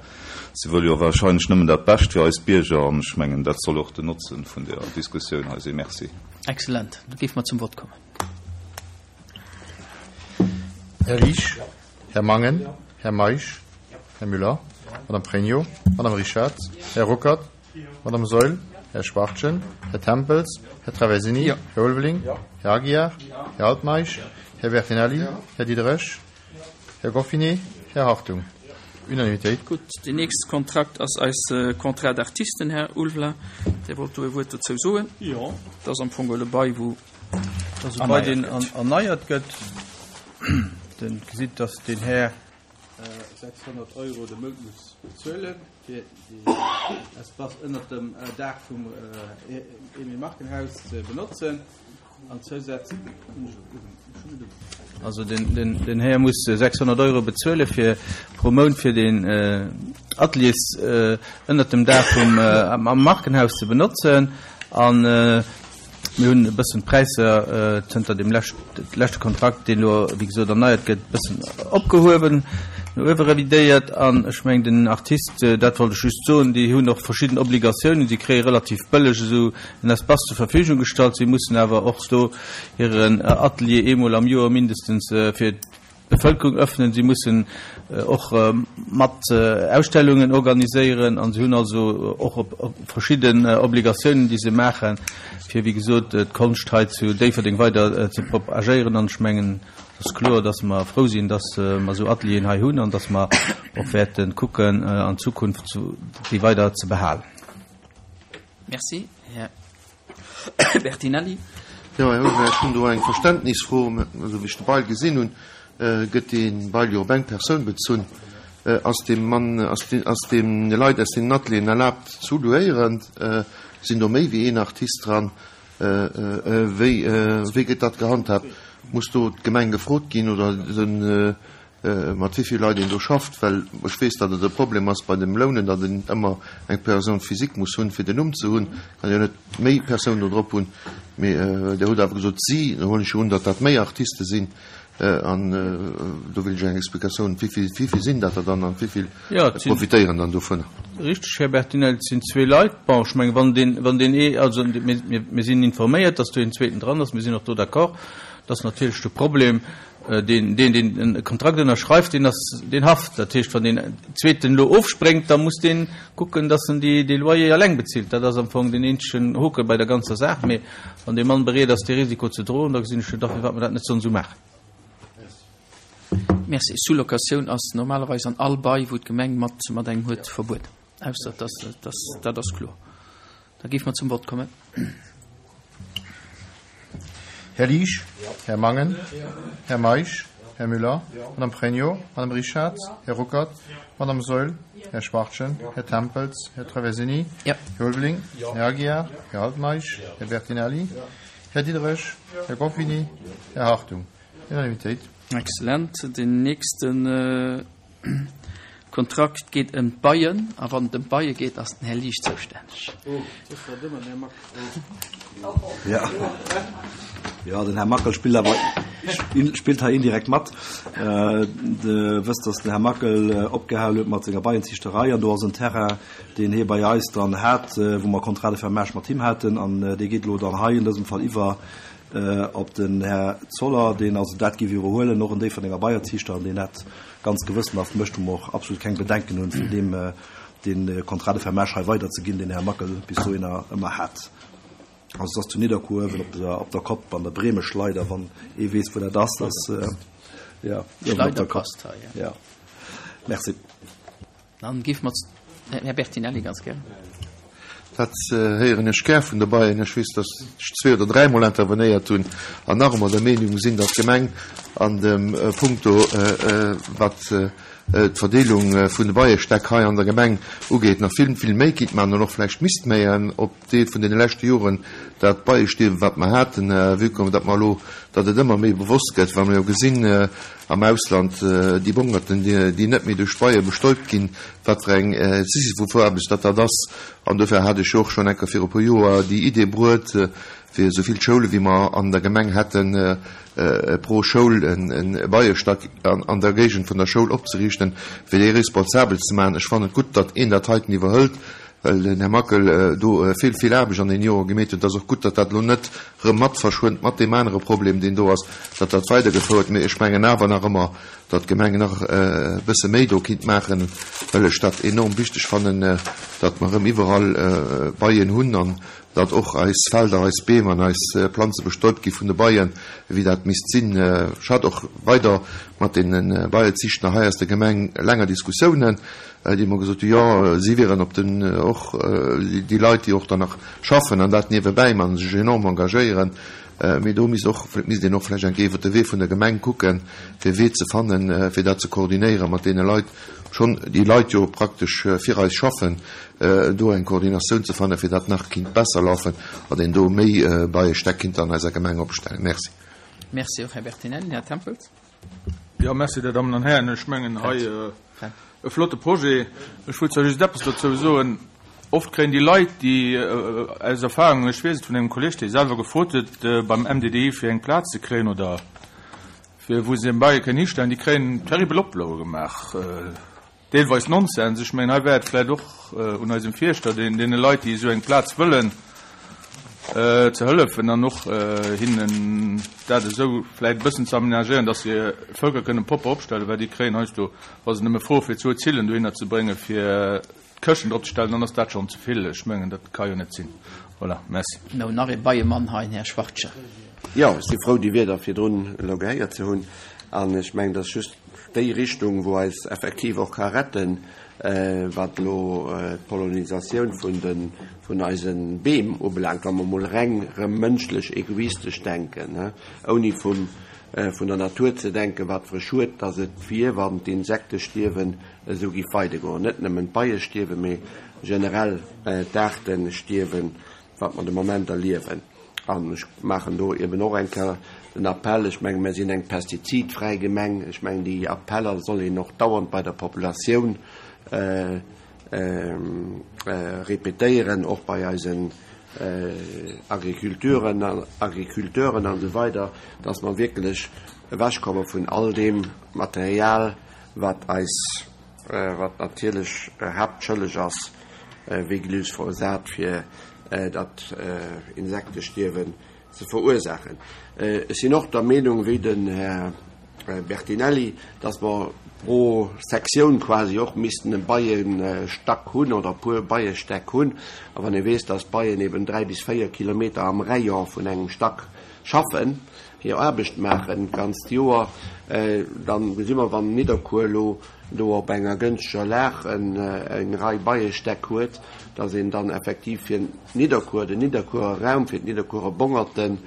Se wëlle jo wahrscheinlech nëmmen dat Bescht fir eis Bierger an ech mengen, dat soll och den Notzen vun der Diskussioun hei sinn. Merci. Excellent. Da géife mer zum Vott kommen. Här Liesch? Här Mangen? Här Meisch? Här Müller? Madame Pregno? Madame Richartz? Här Ruckert? Madame Saeul? Här Schwachtgen? Här Tempels? Här Traversini? Här Ulveling? Här Aguiar? Här Altmeisch? Här Bertinelli? Här Diderich? Här Goffinet? Här Hartung? Unanimitéit. Gutt, deen nächste Kontrakt ass eise Contrat d'artiste, Här Ulveling. Dir wollt do e Wuert dozou soen? Jo. Dat ass am Fong e Bail, wou Dat ass e Bail, deen erneiert gëtt. Dir gesitt, dass deen Här sechshonnert Euro de Mount muss bezuelen, fir déi Espace ënnert dem Daach vum Emile Marken Haus ze benotzen. An zousätzlech, also den, den, den Här muss sechshonnert Euro bezuele fir pro Mount fir den Ateliers ënnert dem Daach vum am Markenhaus ze benotzen. An mir hunn e bëssen d'Präisser zënter dem leschte Kontrakt, deen elo wéi gesot erneiert gëtt, e bëssen opgehuewen, no uewe revidéiert. An ech mengen den Artist, dat wollt ech just soen, déi hunn och verschidden Obligatiounen, si kréie relativ bëlleg esou en Espace zur Verfügung gestallt, si mussen awer och do hiren Atelier eemol am Joer mindestens fir d'Bevëlkerung öffnen, si mussen och mat Ausstellungen organiséieren an si hunn also och verschidden Obligatiounen, déi se maachen, fir wéi gesot d'Konscht hei zu Déifferdeng weider ze propagéieren. An ech mengen, et ass kloer, dass mer frou sinn, dass mer esou Atelieren hei hunn an dass mer och wäerte kucken, an Zukunft déi weider ze behalen. Merci, Här Bertinelli. Jo, Här Ulveling, ech hunn do eng Verständnisfro. Esou wéi ech de Bail gesinn hunn, gëtt dee Bail jo op eng Persoun bezunn. Ass dem Mann, ass de, ass deene Leit aus deenen Atelieren erlaabt zu louéieren? Sinn do méi wéi een Artist dran? Wéi, wéi gëtt dat gehandhaabt? Muss do d'Gemeng gefrot ginn oder den, mat wéi vill Leit een do schafft? Well ech weess, datt et e Problem ass bei dem Lounen, datt een ëmmer eng Personne physique muss hunn, fir den Numm ze hunn. Kann jo net méi Persounen do drop hunn. Mee Dir hutt awer gesot si, da huelen ech jo un, datt dat méi Artiste sinn. An do wëll ech eng Explikatioun, wéi vill, wéi vill sinn dat der dann an wéi vill profitéieren dann dovunner? Richteg, Här Bertinelli, et sinn zwee Leit. Bon, ech mengen, wann deen, wann deen ee, also mir, mir, mir sinn informéiert, datt do een zweeten dran ass, mir sinn och do d'accord. Dat ass natierlech de Problem, deen, deen, deen e Kontrakt ënnerschreift, deen ass, deen haft. Dat heescht, wann deen zweeten elo ofspréngt, da muss deen kucken, datt en déi, dee Loyer eleng bezilt. Dat ass am Fong deen eenzegen Hoke bei der ganzer Saach. Mee wann dee Mann bereet ass, dee Risiko ze droen, da gesinn ech net a firwat mer dat net sollen esou maachen. Merci. Sous-locatioun ass normalerweis an all Bail, wou d'Gemeng mat, mat engem huet, verbueden. Ausser dass, dass, dat ass kloer. Da géife mer zum Vott kommen. Här Liesch? Här Mangen? Här Meisch? Här Müller? Madame Pregno? Madame Richartz? Här Ruckert? Madame Saeul? Här Schwachtgen? Här Tempels? Här Traversini? Här Ulveling? Här Aguiar? Här Altmeisch? Här Bertinelli? Här Diderich? Här Goffinet? Här Hartung? Unanimitéit. Excellent. Den nächsten Kontrakt geet ëm d'Beien. A wann et ëm d'Beie geet, ass den Här Liesch zoustänneg. Oh, dat war dëmmer den Här Mackel. Ja. Ja, den Här Mackel spillt awer, spillt hei indirekt mat. De wësst, dass den Här Mackel opgehal huet mat senger Beienziichterei an do ass en Terrain, deen hie bei eis dann hat, wou mer Contrat de fermage mat him haten an dee geet elo dann hei an dësem Fall iwwer op den Här Zoller, deen also dat géif iwwerhuelen, och en Déifferdenger Beierziichter, an deen dat ganz gewëssenhaft mécht, wou mer och absolut keng Bedenken hunn, fir deem dee Contrat de fermage hei weiderzeginn, deen Här Mackel bis dohinner ëmmer hat. Also et ass zu Nidderkuer uewen op der, op der Kopp an der Bremeschleider, wann ee weess, wou dat ass. Dat ass, ja, uewen op der Kopp. Schleider passt hei, ja. Ja. Merci. Dann géife mer, Här Bertinelli, ganz gär. Dat héieren ech gär vun de Beien. Ech weess, datt ech zwee oder dräimol intervenéiert hunn an nach ëmmer der Meenung sinn, datt d'Gemeng an dem Punkto, wat d'Verdeelung vun de Beiestäck hei an der Gemeng ugeet, nach vill, vill méi kinnt maachen an och vläicht misst méien op Deel vun deene leschte Joren dat Beiestierwen, wat mer haten, vue que datt mer elo, datt et ëmmer méi bewosst gëtt, well mer jo gesinn am Ausland déi Bongerten, déi net méi duerch d'Beie bestäubt ginn, wat fir eng Sisyphusaarbecht dat dat ass. An dofir hat ech jo och schonn enker viru e puer Joer déi Idee bruet, fir esou vill Schoule wéi mer an der Gemeng hätten, pro Schoul e Beiestack an der Géigend vun der Schoul opzeriichten, fir déi responsabel ze maachen. Ech fannen et gutt, datt een dat heiten iwwerhëlt. well den Här Mackel do vill, vill Aarbecht an deenen Jore gemeet huet. Et ass och gutt, datt dat elo net erëm mat verschwënnt mat deem anere Problem, deen do ass, datt dat weidergefouert. Mee ech mengen awer nach ëmmer, datt d'Gemeng nach e bësse méi do kinnt maachen, well ech dat enorm wichteg fannen, datt mer erëm iwwerall Beien hunn an datt och eis Felder, eis Beem an eis Planze bestäubt gi vun de Beien, wéi dat misst sinn. Ech hat och weider mat deene Beieziichter hei aus der Gemeng länger Diskussiounen, déi mer gesot hunn, jo, si wieren op den, och déi Leit, déi och dann nach schaffen an dat niewebäi man, sech enorm engagéieren, mee do misst och, misst een och vläicht eng Kéier iwwert de Wee vun der Gemeng kucken, fir e Wee ze fannen, fir dat ze koordinéieren mat deene Leit, schonn déi Leit jo praktesch fir eis schaffen, do eng Koordinatioun ze fannen, fir dat nach kinnt besser lafen, datt een do méi Beiestäck kinnt an eiser Gemeng opstellen. Merci. Merci och, Här Bertinelli. Här Tempels. Jo, merci, Dir Dammen an Hären. Ech mengen, hei e flotte Projet. Ech wëll zwar just eppes dozou soen. Oft kréien déi Leit, déi aus Erfahrung, ech weess et vun engem Kolleg, dee selwer gefrot huet beim M D D I fir eng Plaz ze kréien oder fir wou se Beie kënnen histellen, déi kréien terribel Oploe gemaach, deelweis Nonsens. Ech mengen, hei wär et vläicht och un eisem Fierschter, deen deene Leit, déi esou eng Plaz wëllen, ze hëllefen an och hinnen dat esou vläicht e bëssen ze aménagéieren, dass se Völker kënnen propper opstellen, well déi kréien heiansdo, wa se nëmme froe fir zwou Zillen dohinner ze bréngen, fir d'Këschten drop ze stellen, dann ass dat schonn ze vill. Ech mengen, dat ka jo net sinn. Voilà, merci. Mir hunn nach ee Beiemann hei, den Här Schwartje. Jo, ech si frou, déi Wierder virdrun elo gehéiert ze hunn. An ech mengen, dat ass just déi Richtung, wou eis effektiv och ka retten, wat elo d'Pollinisatioun vun de, vun eise Beem ubelaangt, wa mer emol reng erëm mënschlech egoistesch denken, ouni vum, vun der Natur ze denken, wat fir e Schued dass et wier, wann d'Insektestierwen esou giff weidergoen. Net nëmmen d'Beiestierwen, mee generell d'Aartestierwen, wat mer de Moment erliewen. An ech maachen do eben och eng Kéier den Appell, ech mengen, mir sinn eng pestizidfräi Gemeng, ech mengen, déi Appeller soll een och dauernd bei der Populatioun répétéieren, och bei eisen Agriculturen, Agriculteuren an esou weider, dass mer wierklech ewechkomme vun all deem Material, wat eis, wat natierlech haaptschëlleg ass, wéi Glyphosat, fir dat Insektestierwen ze verursaachen. Ech sinn och der Meenung, wéi den Här Bertinelli, dass mer pro Sektioun quasi och missten e Beiestack hunn oder e puer Beiestäck hunn. A wann ee weess, dass d'Beien eben dräi bis véier Kilometer am Rayon vun engem Stack schaffen, hir Aarbecht maachen d'ganzt Joer, dann gesi mer, wann Nidderkuer elo do op enger gënschteger Lag eng Rei Beiestäck huet, dass een dann effektiv fir Nidderkuer, den Nidderkuerer Raum, fir d'Nidderkuerer Bongerten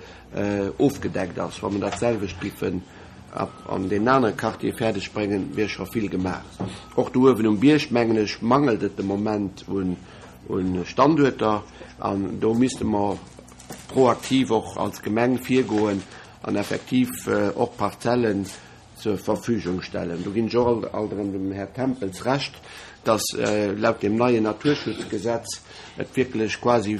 ofgedeckt ass. Wa mer dat selwecht giffen an deenen anere Quartiere fäerdeg bréngen, wier scho vill gemaach. Och do uewen um Bierg, mengen ech, mangelt et de Moment un Standuerter an do misste mer proaktiv och als Gemeng virgoen an effektiv och Parzellen zur Verfügung stellen. Do ginn ech och alt erëm dem Här Tempels Recht, dass laut dem neien Naturschutzgesetz et wierklech quasi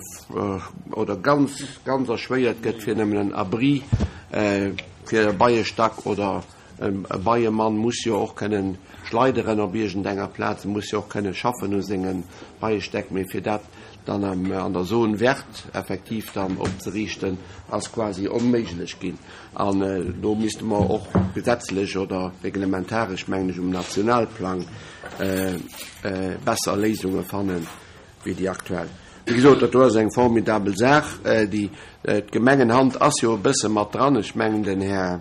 oder ganz, ganz erschwéiert gëtt, fir nëmmen en Abri fir e Beiestack oder e Beiemann muss jo och kënnen schleideren op iergendenger Plaz, e muss jo och kënnen schaffen u senge Beiestäck, mee fir dat dann an der Zone verte effektiv dann opzeriichten, ass quasi onméiglech ginn. An do misste mer och gesetzlech oder reglementaresch, mengen ech, um Nationalplang besser Léisunge fannen, wéi déi aktuell. Wéi gesot, dat do ass eng formidabel Saach. Déi, d'Gemengenhand ass jo e bësse mat dran. Ech mengen, den Här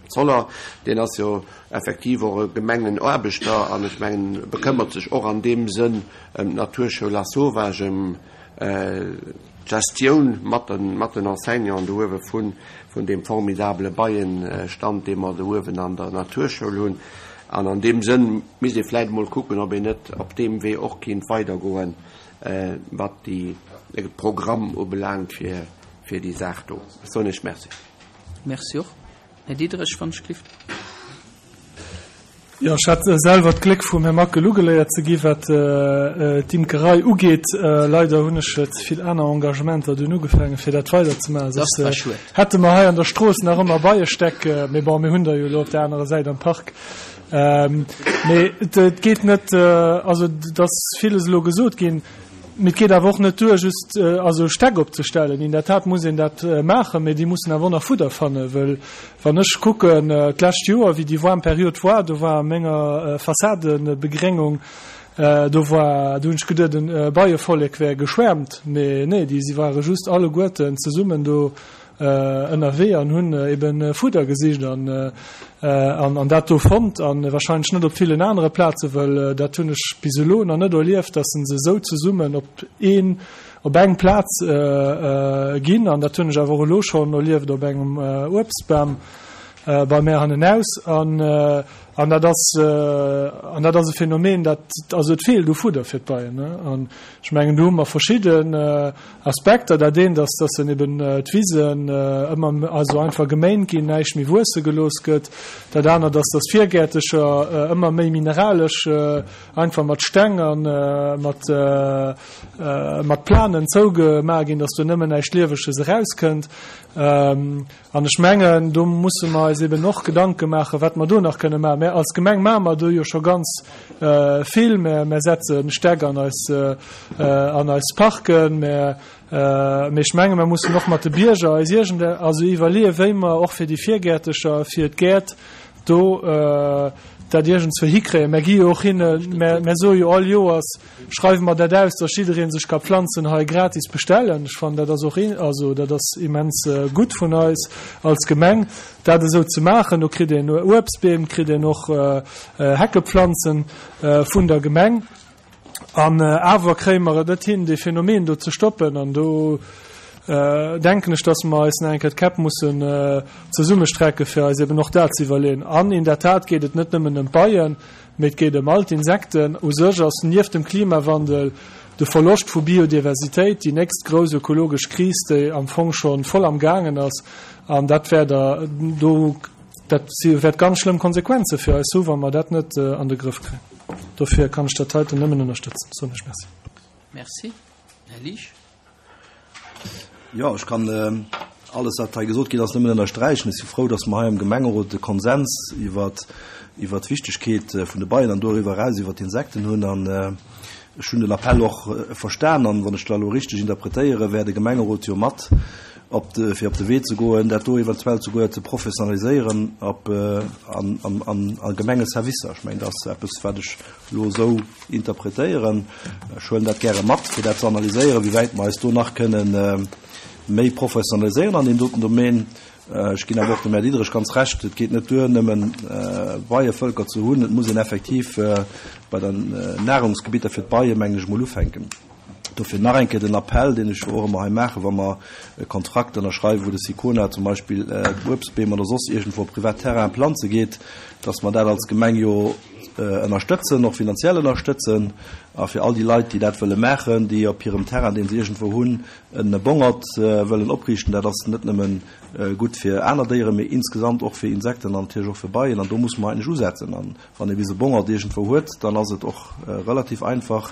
Zoller, deen ass jo effektiv och e Gemengenaarbechter an ech mengen, bekëmmert sech och an deem Sënn ëm d'Naturschoul Lasauvage, ëm d'Gestioun mat den, mat den Enseignanten do uewe vun, vun deem formidabele Beienstand, dee mer do uewen an der Naturschoul hunn. An an deem Sënn misst ee vläicht emol kucken, ob een net op deem Wee och kinnt weidergoen, wat déi, de Programm ubelaangt fir, fir déi Saach do. Ech soen Iech Merci. Merci och. Här Diderich, wann ech gelift. Jo, ech hat selwer d'Gléck vum Här Mackel ugeléiert ze gi wat d'Imkerei ugeet. Leider hunn ech ze vill aner Engagementer dunn ugefaangen, fir dat weiderzemaachen. Dat war schued. Hätte mer hei an der Strooss nach ëmmer Beiestäck, mee bon, mir hunn der jo elo op der anerer Säit am Park. Mee et geet net, also et ass villes elo gesot ginn, mee et geet awer och net duer, just also Stäck opzestellen. In der Tat muss een dat maachen, mee déi mussen awer och nach Fudder fannen, wëll wann ech kucken d'lescht Joer, wéi déi waarm Period war, do war a menger Fassadenbegréngung, do war, do hunn ech geduet, e Beievollek wär geschwäermt, mee nee, déi si ware just alleguerten zesummen do ënnerwee an hunn eben Fudder gesicht an an dat do fonnt an wahrscheinlech net op villen anere Plazen, wëll dat hunn ech bis elo nach net erlieft, dass se esou zesummen op een op eng Plaz ginn an dat hunn ech awer och elo schonn erlieft op engem Uebstbam bei mär hannenaus an an dat ass an dat ass e Phänomen, dat also et feelt u Fudder fir d'Beien an ech mengen do hu mer verschidden Aspekter, dat eent ass, dass en eben d'Wisen ëmmer also einfach geméint ginn, näischt méi wuesse gelooss gëtt, dat anert ass, dass Virgäertecher ëmmer méi mineralesch einfach mat Steng a mat mat Planen zougemaach ginn, dass do nëmmen näischt Lieweges erauskënnt. An ech mengen, do musse mer eis eben och Gedanke maachen, wat mer do nach kënne maachen. Mä als Gemeng maache mer do jo scho ganz vill. Mer, mer setze Stäck an eis, an eis Parken. Mä, mä ech menge mer mussen och mat de Bierger eis iergend, also iwwerleeën, wéi mer och fir déi Virgäertecher, fir d'Gäert do dat iergendswéi hikréien. Mer gi jo och hinne, mer, mer soe jo all Joers, schreiwe mer dat aus, dass jidderee sech ka Planzen hei gratis bestellen. Ech fannen, dat ass och, also dat ass immens gutt vun eis als Gemeng, dat esou ze maachen. Do kritt een Uebstbeem, kritt een och Heckepflanzen vun der Gemeng. An awer kréie mer et net hin, dee Phänomen do ze stoppen. An do denken ech, dass mer eis nach eng Kéier d'Käpp mussen zesummestrecken, fir eis eben och dat ze iwwerleeën. An in der Tat geet et net nëmmen ëm d'Beien, mee et geet ëm all d'Insekten. U sech ass nieft dem Klimawandel de Verloscht vu Biodiversitéit déi nächst grouss ökologesch Kris, déi am Fong scho voll am gaangen ass. An dat wäert Der do, dat wäert ganz schlëmm Konsequenze fir eis hu, wa mer dat net an de Grëff kréien. Dofir kann ech dat heiten nëmmen ënnerstëtzen. Soen ech Merci. Merci. Här Liesch. Jo, ech kann alles, wat hei gesot ginn ass, nëmmen ënnersträichen. Ech si frou, dass mer hei am Gemengerot de Konsens iwwer iwwer d'Wichtegkeet vun de Beien an doriwwer eraus iwwer d'Insekten hunn. An ech hunn den Appell och verstan. An wann ech dat elo richteg interpretéieren, wär de Gemengerot jo mat op de, fir op de Wee ze goen, dat do eventuell souguer ze professionaliséieren op an an an a Gemengeservicer. Ech mengen, dat ass eppes, wat ech elo esou interpretéieren. Ech huelen dat gäre mat, fir dat ze analyséieren, wéi wäit mer eis do nach kënnen méi professionaliséieren an deem doten Domaine. Ech ginn awer och dem Här Diderich ganz Recht, et geet net duer, nëmmen Beievölker ze hunn. Et muss een effektiv bei den Nahrungsgebitter fir d'Beien, mengen ech, emol ufänken. Dofir nach eng Kéier den Appell, deen ech jo och ëmmer hei maachen, wa mer e Kontrakt ënnerschreiwen, wou de Sicona zum Beispill Uebstbeem oder soss iergendwou op privat Terrainen planze geet, dass mer dat als Gemeng jo ënnerstëtzen, och finanziell ënnerstëtzen. A fir all déi Leit, déi dat wëlle maachen, déi op hirem Terrain, dee se iergendwou hunn, e Bongert wëllen opriichten, dat ass net nëmme gutt fir aner Déieren, mee insgesamt och fir Insekten an natierlech och fir Beien. An do musse mer eigentlech usetzen. An wann ee bis e Bongert iergendwou huet, dann ass et och relativ einfach,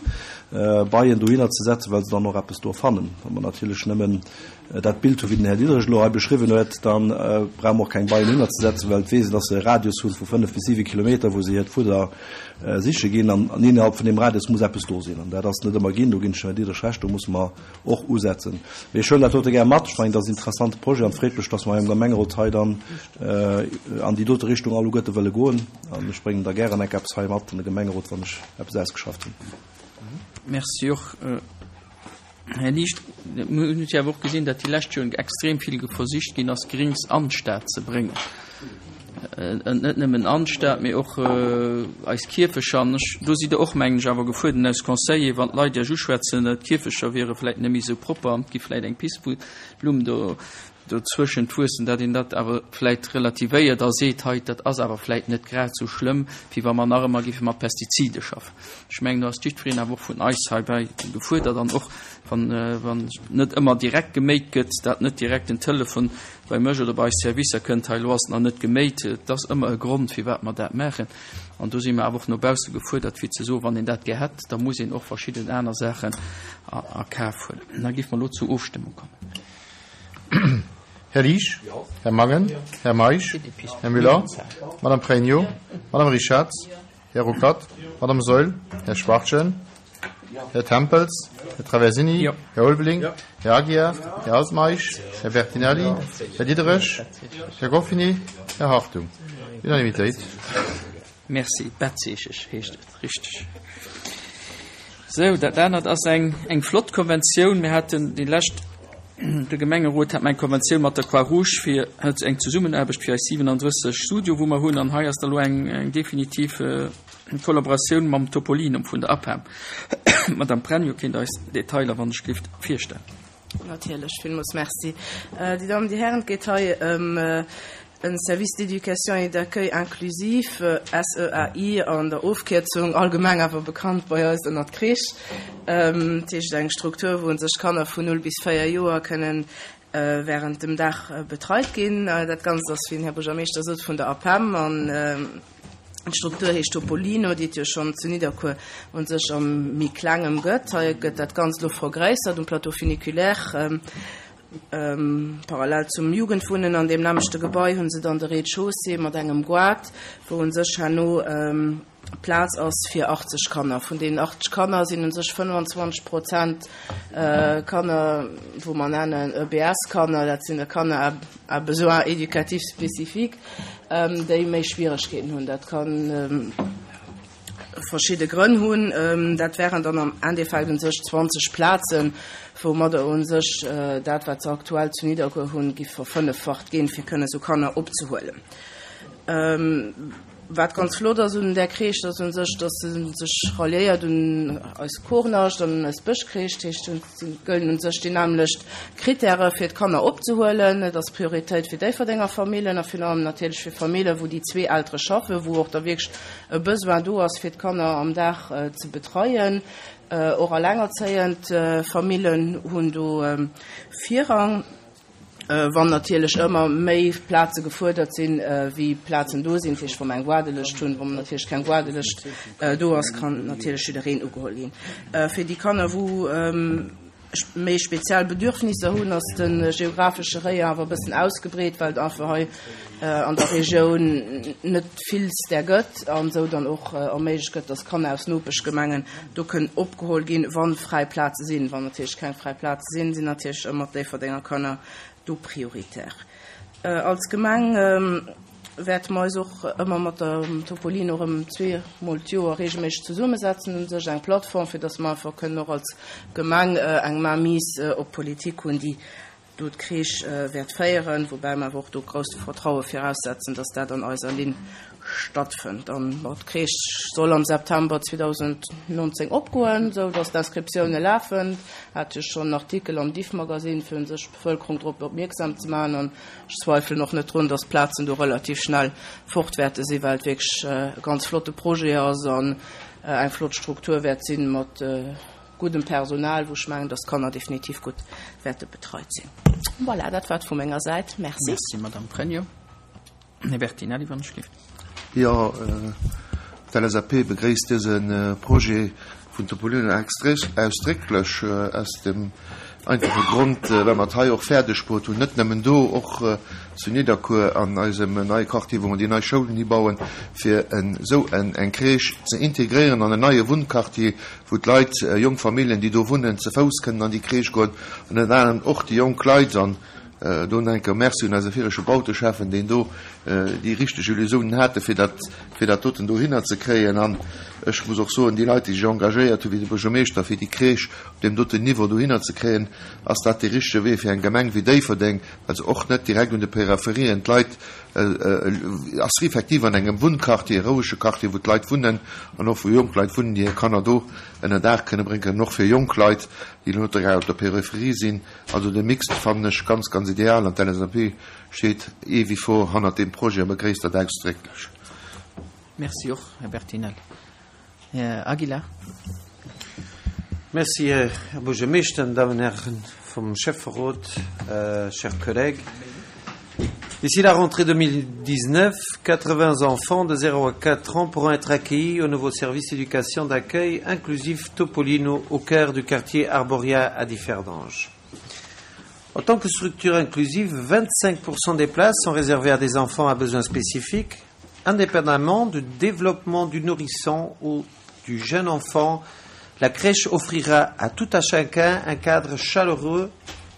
Beien dohinner ze setzen, well se dann och eppes do fannen. Wa mer natierlech nëmmen dat Bild hu wéi den Här Diderich elo hei beschriwwen huet, da brauche mer och keng Beien dohinner ze setzen, well et weess een, dass se e Radius hu vu fënnef bis siwe Kilometer, wou se hiert Fudder siche ginn. An innerhalb vun deem Radius muss eppes do sinn. An dat ass net ëmmer ginn. Do ginn ech dem Här Diderich Recht, do musse mer och usetzen. Mee ech huelen dat dote gär mat. Ech mengen, dat ass en interessante Projet an et freet mech, dass mer hei am Gemengerot hei dann an déi dote Richtung alleguerte wëlle goen. An ech bréngen da gären enk eppes hei mat an de Gemengerot, wann ech eppes ausgeschafft hunn. Merci och, Här Licht. Mir hunn jo awer och gesinn, datt déi lescht Joren extrem vill versicht ginn ass, Grings an d'Stad ze bréngen. Net nëmmen an d'Stad, mee och eis Kierfecher. An ech, do sidd Der och, mengen ech, awer gefuerdert als Conseiller, wann d'Leit Iech uschwätzen, d'Kierfecher wiere vläicht net méi esou propper an et gi vläicht eng Pissblumm do dozwëschent wuessen, datt een dat awer vläicht relativéiert a seet, hei, dat ass awer vläicht net grad esou schlëmm, wéi wa mer nach ëmmer géife mat Pestizide schaffen. Ech mengen, do ass jiddwereen awer och vun eis heibäi gefuerdert an och wann, wann net ëmmer direkt geméit gëtt, dat net direkt den Telefon bei mech oder bei eis Servicer kënnt, hei, elo ass et nach net geméit. Et ass ëmmer e Grond, firwat mer dat maachen. An do si mer awer och no bausse gefuerdert, fir ze soen, wann een dat gär hätt, da muss een och verschidden aner Saachen a, a Kaf huelen. Da géife mer elo zur Ofstëmmung kommen. Här Liesch? Här Mangen? Här Meisch? Här Müller? Madame Pregno? Madame Richarz? Här Ruckert? Madame Saeul? Här Schwachtgen? Här Tempels? Här Traversini? Här Ulveling? Här Aguiar? Här Altmeisch? Här Bertinelli? Här Diderich? Här Goffini? Här Hartung? Unanimitéit. Merci. Bettzeecheg heescht et, richteg. Sou, dat anert ass eng, eng flott Konventioun. Mir haten déi lescht, de Gemengerot hat mer eng Konventioun mat der Croix-Rouge fir eng Zesummenaarbecht fir eis siwenandrësseg Studio, wou mer hunn. An hei ass da elo eng, eng definitiv Kollaboratioun mam Topolinum vun der APEM. D'Madame Pregno kéint eis d'Detailer, wann ech gelift, virstellen. Natierlech, villmools Merci. Dir Dammen, Dir Hären, et geet hei ëm en Service d'éducation et d'accueil inclusif, S E A I an der Ofkierzung, allgemeng awer bekannt bei eis ënnert Crèche. Dat heescht eng Struktur, wou sech Kanner vun null bis véier Joer kënnen während dem Dag betreit ginn. Dat Ganzt ass, wéi den Här Buergermeeschter sot, vun der APEM an d'Struktur heescht Topolino, déi et jo schonn zu Nidderkuer u sech am méi klengem gëtt. Hei gëtt dat Ganzt elo vergréissert um Plateau funiculaire. Parallel zum Jugendwunnen an deem nämmlechte Gebai hu se dann de Rez-de-chaussée mat engem Goart, wou u sech herno Plaz ass fir achtzeg Kanner. Vun deenen achtzeg Kanner sinn u sech fënnfanzwanzeg Prozent Kanner, wou mer nennen E B S-Kanner, dat sinn da Kanner à besoins éducatifs spécifiques, déi méi Schwieregkeeten hunn. Dat ka verschidde Grënn hunn. Dat wären dann am Endeffekt u sech zwanzeg Plazen, woumadder u sech dat, wat se aktuell zu Nidderkuer hunn, giff verfënneffacht ginn, fir kënne sou Kanner opzehuelen. Wat ganz flott ass un där Crèche, ass u sech, dass se sech ralliéiert un eis Kornascht an un eis Bëschcrèche. Dat heescht, et gëllen u sech déi nämmlecht Krittäre fir d'Kanner opzehuelen. Et ass Prioritéit fir Déifferdenger Famillen a virun allem natierlech fir Famillen, wou déi zwee Eltere schaffen, wou och da wierklech e Besoin do ass, fir d'Kanner am Dag ze betreien. Och allengerzéiend Famillen hunn do Virrang. Wann natierlech ëmmer méi Plaze gefuerdert sinn, wéi Plazen do sinn, dat heescht, wa mer eng Waardelëscht hunn, wa natierlech keng Waardelëscht do ass, kann natierlech jiddereen ugeholl ginn. Fir déi Kanner, wou méi speziell Bedürfnisser hunn, ass de geografesche Rayon awer e bëssen ausgebreet, well et einfach hei an der Regioun net vill där gëtt an esou dann och erméiglecht gëtt, dass Kanner aus Nopeschgemengen do kënnen opgeholl ginn, wa fräi Plaze sinn. Wann natierlech keng fräi Plaze sinn, sinn natierlech ëmmer d'Déifferdenger Kanner do prioritär. Als Gemeng wäerte mer eis och ëmmer mat der Topolino erëm zwee Mol d'Joer reegelméisseg zesummesetzen, u sech eng Plattform, fir dass mer einfach kënnen och als Gemeng eng Mainmise op d'Politik hunn, déi do d'Crèche wäert féieren, woubäi mer awer och do grousst Vertraue viraussetzen, dass dat an eiser Linn stattfënnt. An d'Crèche soll am September zweedausendnonzéng opgoen, esou dass d'Inscriptioune lafen. Hat jo schonn en Artikel am Diffmagazine, fir un sech d'Bevëlkerung drop opmierksam ze maachen. An ech zweifelen och net drun, dass d'Plazen do relativ schnell fort wäerte sinn, well et wierklech e ganz flotte Projet ass an eng flott Struktur wäert sinn mat guddem Personal, wou ech mengen, dass d'Kanner definitiv gutt wäerte betreit sinn. Voilà, dat war et vu menger Säit. Merci. Merci, Madame Pregno. Här Bertinelli, wann ech gelift. Jo, d'L S A P begréisst dëse Projet vun Topolino ausdrécklech aus dem einfache Grond, well mer et hei och fäerdeg bruet hunn, net nëmmen do, och zu Nidderkuer an eisem neie Quartier, wou mer déi nei Schoulen hibauen, fir esou eng Crèche ze integréieren an en neie Wunnquartier, wou d'Leit, jonk Familljen, déi do wunnen, ze Fouss kënnen an déi Crèche goen an ënner anerem och déi jonk Leit. An do nach eng Kéier Merci un eise virege Bauteschäffen, deen do déi richteg Illusiounen hate fir dat, fir dat doten dohinner ze kréien. An ech muss och soen, déi Leit, déi sech engagéiert hu wéi de Buergermeeschter, fir déi Crèche op deem doten Niveau dohinner ze kréien, ass dat dee richtege Wee fir eng Gemeng wéi Déifferdeng, well se och net direkt un de Peripherien d'Leit ass, effektiv an engem Wunnquartier, e rouege Quartier, wou d'Leit wunnen an och wou jonk Leit wunnen, déi hir Kanner do ënner Daach kënne bréngen, och fir jonk Leit, déi elo net direkt op der Peripherie sinn. Also de Mix fannen ech ganz, ganz ideal an d'L S A P steet eh wie vor hannert deem Projet a begréisst dat ausdrécklech. Merci och, Här Bertinelli. Här Aguilar. Merci, Här Buergermeeschter, Damen und Herren vum Schäfferot, euh, chers collègues. D'ici la rentrée deux mille dix-neuf, quatre-vingts enfants de zéro à quatre ans pourront être accueillis au nouveau service éducation d'accueil inclusif Topolino au cœur du quartier Arboria à Differdange. En tant que structure inclusive, vingt-cinq pour cent des places sont réservées à des enfants à besoins spécifiques, indépendamment du développement du nourrisson ou du jeune enfant. La crèche offrira à tout à chacun un cadre chaleureux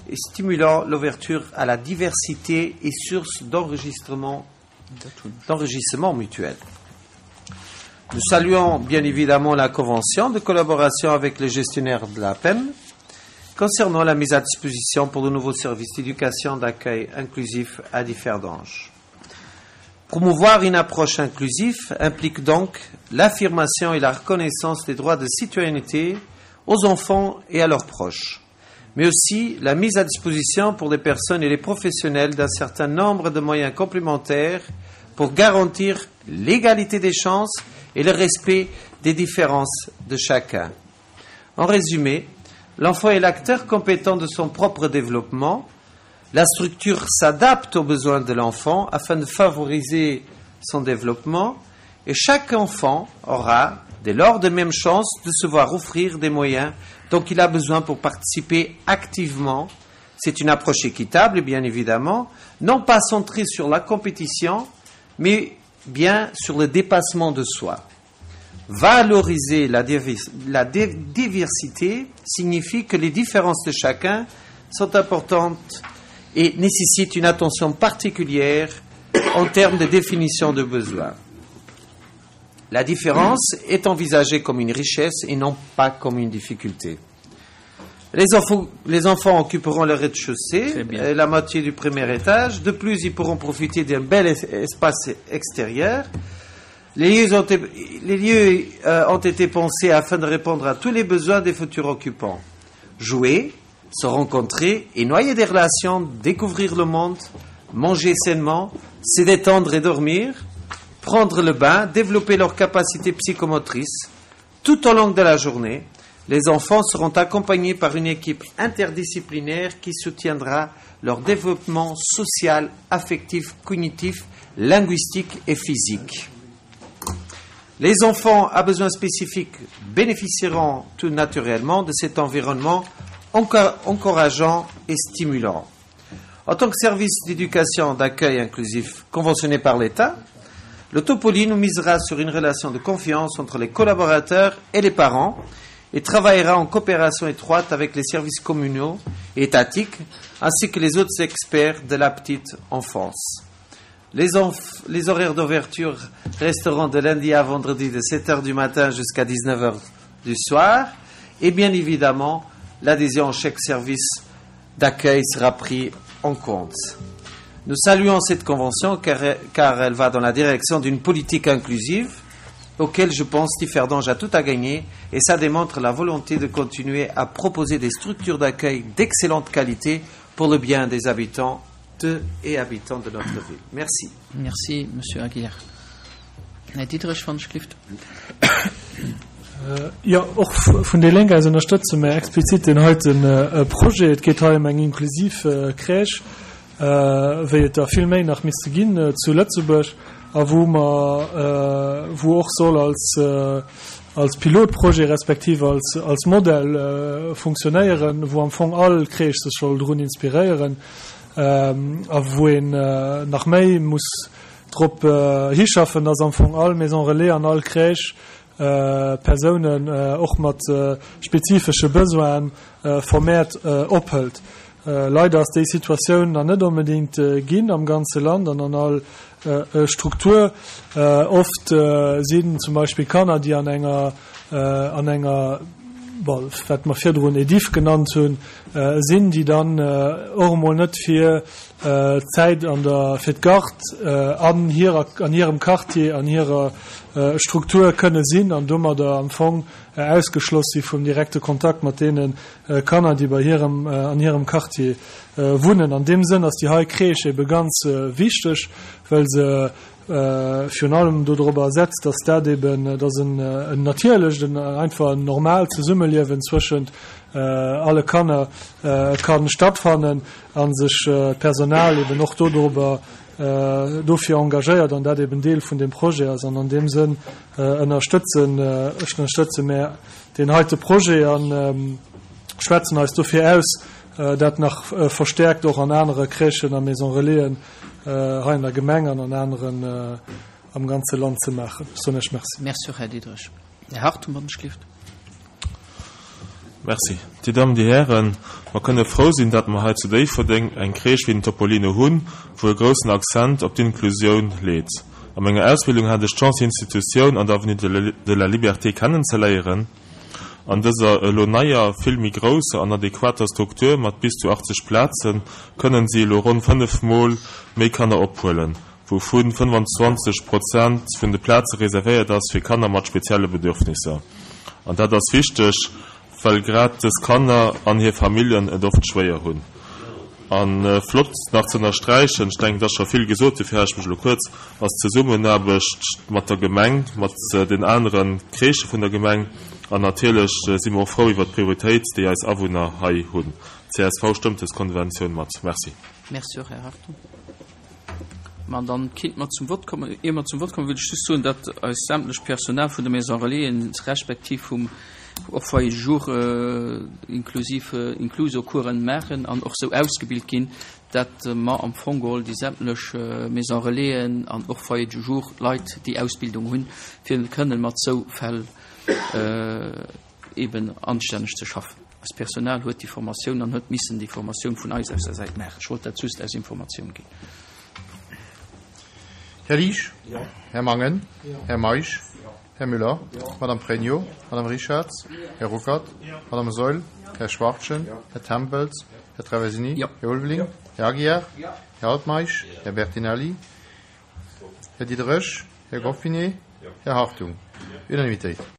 et stimulant l'ouverture à la diversité et source d'enregistrement, d'enrichissement mutuel. Nous saluons bien évidemment la convention de collaboration avec les gestionnaires de la P E M concernant la mise à disposition pour de nouveaux services d'éducation d'accueil inclusif à Differdange. Promouvoir une approche inclusive implique donc l'affirmation et la reconnaissance des droits de citoyenneté aux enfants et à leurs proches, mais aussi la mise à disposition pour les personnes et les professionnels d'un certain nombre de moyens complémentaires pour garantir l'égalité des chances et le respect des différences de chacun. En résumé, l'enfant est l'acteur compétent de son propre développement. La structure s'adapte aux besoins de l'enfant afin de favoriser son développement et chaque enfant aura, dès lors, de mêmes chances de se voir offrir des moyens dont il a besoin pour participer activement. C'est une approche équitable, bien évidemment, non pas centrée sur la compétition, mais bien sur le dépassement de soi. Valoriser la divis-, la dé-, diversité signifie que les différences de chacun sont importantes et nécessitent une attention particulière en termes de définition de besoins. La différence est envisagée comme une richesse et non pas comme une difficulté. Les enfants, les enfants occuperont le rez-de-chaussée Très bien. et la moitié du premier étage. De plus, ils pourront profiter d'un bel es-, espace extérieur. Les lieux ont été, les lieux, euh, ont été pensés afin de répondre à tous les besoins des futurs occupants. Jouer, se rencontrer et noyer des relations, découvrir le monde, manger sainement, se détendre et dormir, prendre le bain, développer leurs capacités psychomotrices. Tout au long de la journée, les enfants seront accompagnés par une équipe interdisciplinaire qui soutiendra leur développement social, affectif, cognitif, linguistique et physique. Les enfants à besoins spécifiques bénéficieront tout naturellement de cet environnement enca-, encourageant et stimulant. En tant que service d'éducation d'accueil inclusif conventionné par l'État, le Topoly nous misera sur une relation de confiance entre les collaborateurs et les parents et travaillera en coopération étroite avec les services communaux et étatiques ainsi que les autres experts de la petite enfance. Les enf-, les horaires d'ouverture resteront de lundi à vendredi de sept heures du matin jusqu'à dix-neuf heures du soir et bien évidemment, l'adhésion au chèque service d'accueil sera prise en compte. Nous saluons cette convention car, car elle va dans la direction d'une politique inclusive auquel je pense Differdange a tout à gagner et ça démontre la volonté de continuer à proposer des structures d'accueil d'excellente qualité pour le bien des habitants de et habitants de notre ville. Merci. Merci, Monsieur Aguilar. Herr Dietrich von Schlift. Äh, ja, och vun der Lénk aus ënnerstëtze mir explizit den heiten, äh, Projet. Et geet hei ëm eng inklusiv, äh, Crèche, äh, wéi et da vill méi nach misste ginn, äh, zu Lëtzebuerg, a wou mer, äh, wou och soll als, äh, als Pilotprojet respektive als, als Modell, äh, funktionéieren, wou am Fong all Crèche sech soll drun inspiréieren, ähm, a wou een, äh, nach méi muss drop, äh, hischaffen, dass am Fong all Maison Relais an all Crèche, äh, Personen, äh, och mat, äh, spezifische Besoinen, äh, vermehrt, äh, ophält. Äh, leider ass déi Situatioun nach net unbedingt, äh, ginn am ganze Land an an all, äh, äh, Struktur. Äh, oft, äh, sinn zum Beispiel Kanner, déi an enger, äh, an enger, bon, wat mer virdrun Edif genannt hunn, äh, sinn, déi dann, äh, och emol net fir, äh, Zäit an der, fir d'Gard, äh, an hirer, an hirem Quartier, an hirer, äh, Struktur kënne sinn an domadder am Fong, äh, ausgeschloss si vum direkte Kontakt mat deenen, äh, Kanner, déi bei hirem, äh, an hirem Quartier, äh, wunnen. An dem Sënn ass déi hei Crèche ebe ganz, äh, wichteg, well se, äh, virun allem darüber setzt, dass dat eben, äh, dass en, äh, en natierlecht, en, einfach ein normal Zesummeliewen zwëschent, äh, alle Kanner, äh, kann stattfannen an sich, äh, Personal eben och darüber, äh, dofir engagéiert an dat eben Deel vun dem Projet ass. An an dem Sënn, äh, ënnerstëtzen, äh, ech ënnerstëtze mär den heite Projet an, ähm, schwätzen eis dofir aus, äh, dat nach verstäerkt och an anere Crèchen a Maison Relaisen hei an der Gemeng an an aneren am ganze Land ze maachen. Ech soen Iech Merci. Merci och, Här Diderich. Här Hartung, wann ech gelift. Merci. Dir Dammen, Dir Hären, mer kënne frou sinn, datt mer hei zu Déifferdeng eng Crèche wéi den Topolino hunn, wou e groussen Accent op d'Inklusioun leet. A menger Ausbildung hat ech d'Chance, déi Institutioun an der Avenue de la Liberté kennenzeléieren. An dëser elo neier, vill méi grousser an adequater Struktur mat bis zu achtzeg Plaze kënnen si elo ronn fënnef Mol méi Kanner ophuelen, wouvu fënnefanzwanzeg Prozent vun de Plaze reservéiert ass fir Kanner mat spezielle Bedürfnisser. An dat ass wichteg, well grad dës Kanner an hir Familljen et oft schwéier hunn. A flott nach ze ënnersträichen, ech denken, et ass scho vill gesot, dofir hale ech mech elo kuerz, ass d'Zesummenaarbecht mat der Gemeng, mat den anere Crèchë vun der Gemeng. An natierlech si mer och frou iwwert d'Prioritéit, déi eis Awunner hei hunn. Csv stëmmt dës Konventioun mat. Merci. Merci och, Här Hartung. Ma dann kinnt mer zum Vott kommen. Ier mer zum Vott kommen, wëll ech just soen, datt eist sämtlecht Personal vun de Maison Relaisen respektiv vum och Foyer de jour inklusiv Incluso-Coursen maachen an och sou ausgebilt ginn, datt mer am Fong geholl déi sämtlech Maison Relaisen an och Foyer de jour Leit déi Ausbildung hunn, fir kënnen mat sou Fäll eben anstänneg ze schaffen. Eist Personal huet déi Formatioun an huet missen déi Formatioun vun eis aus der Säit maachen. Ech wollt dat just als Informatioun ginn. Här Liesch? Här Mangen? Här Meisch? Här Müller? Madame Pregno? Madame Richarz? Här Ruckert? Madame Saeul? Här Schwachtgen? Här Tempels? Här Traversini? Här Ulveling? Här Aguiar? Här Altmeisch? Här Bertinelli? Här Diderich? Här Goffinet? Här Hartung? Unanimitéit.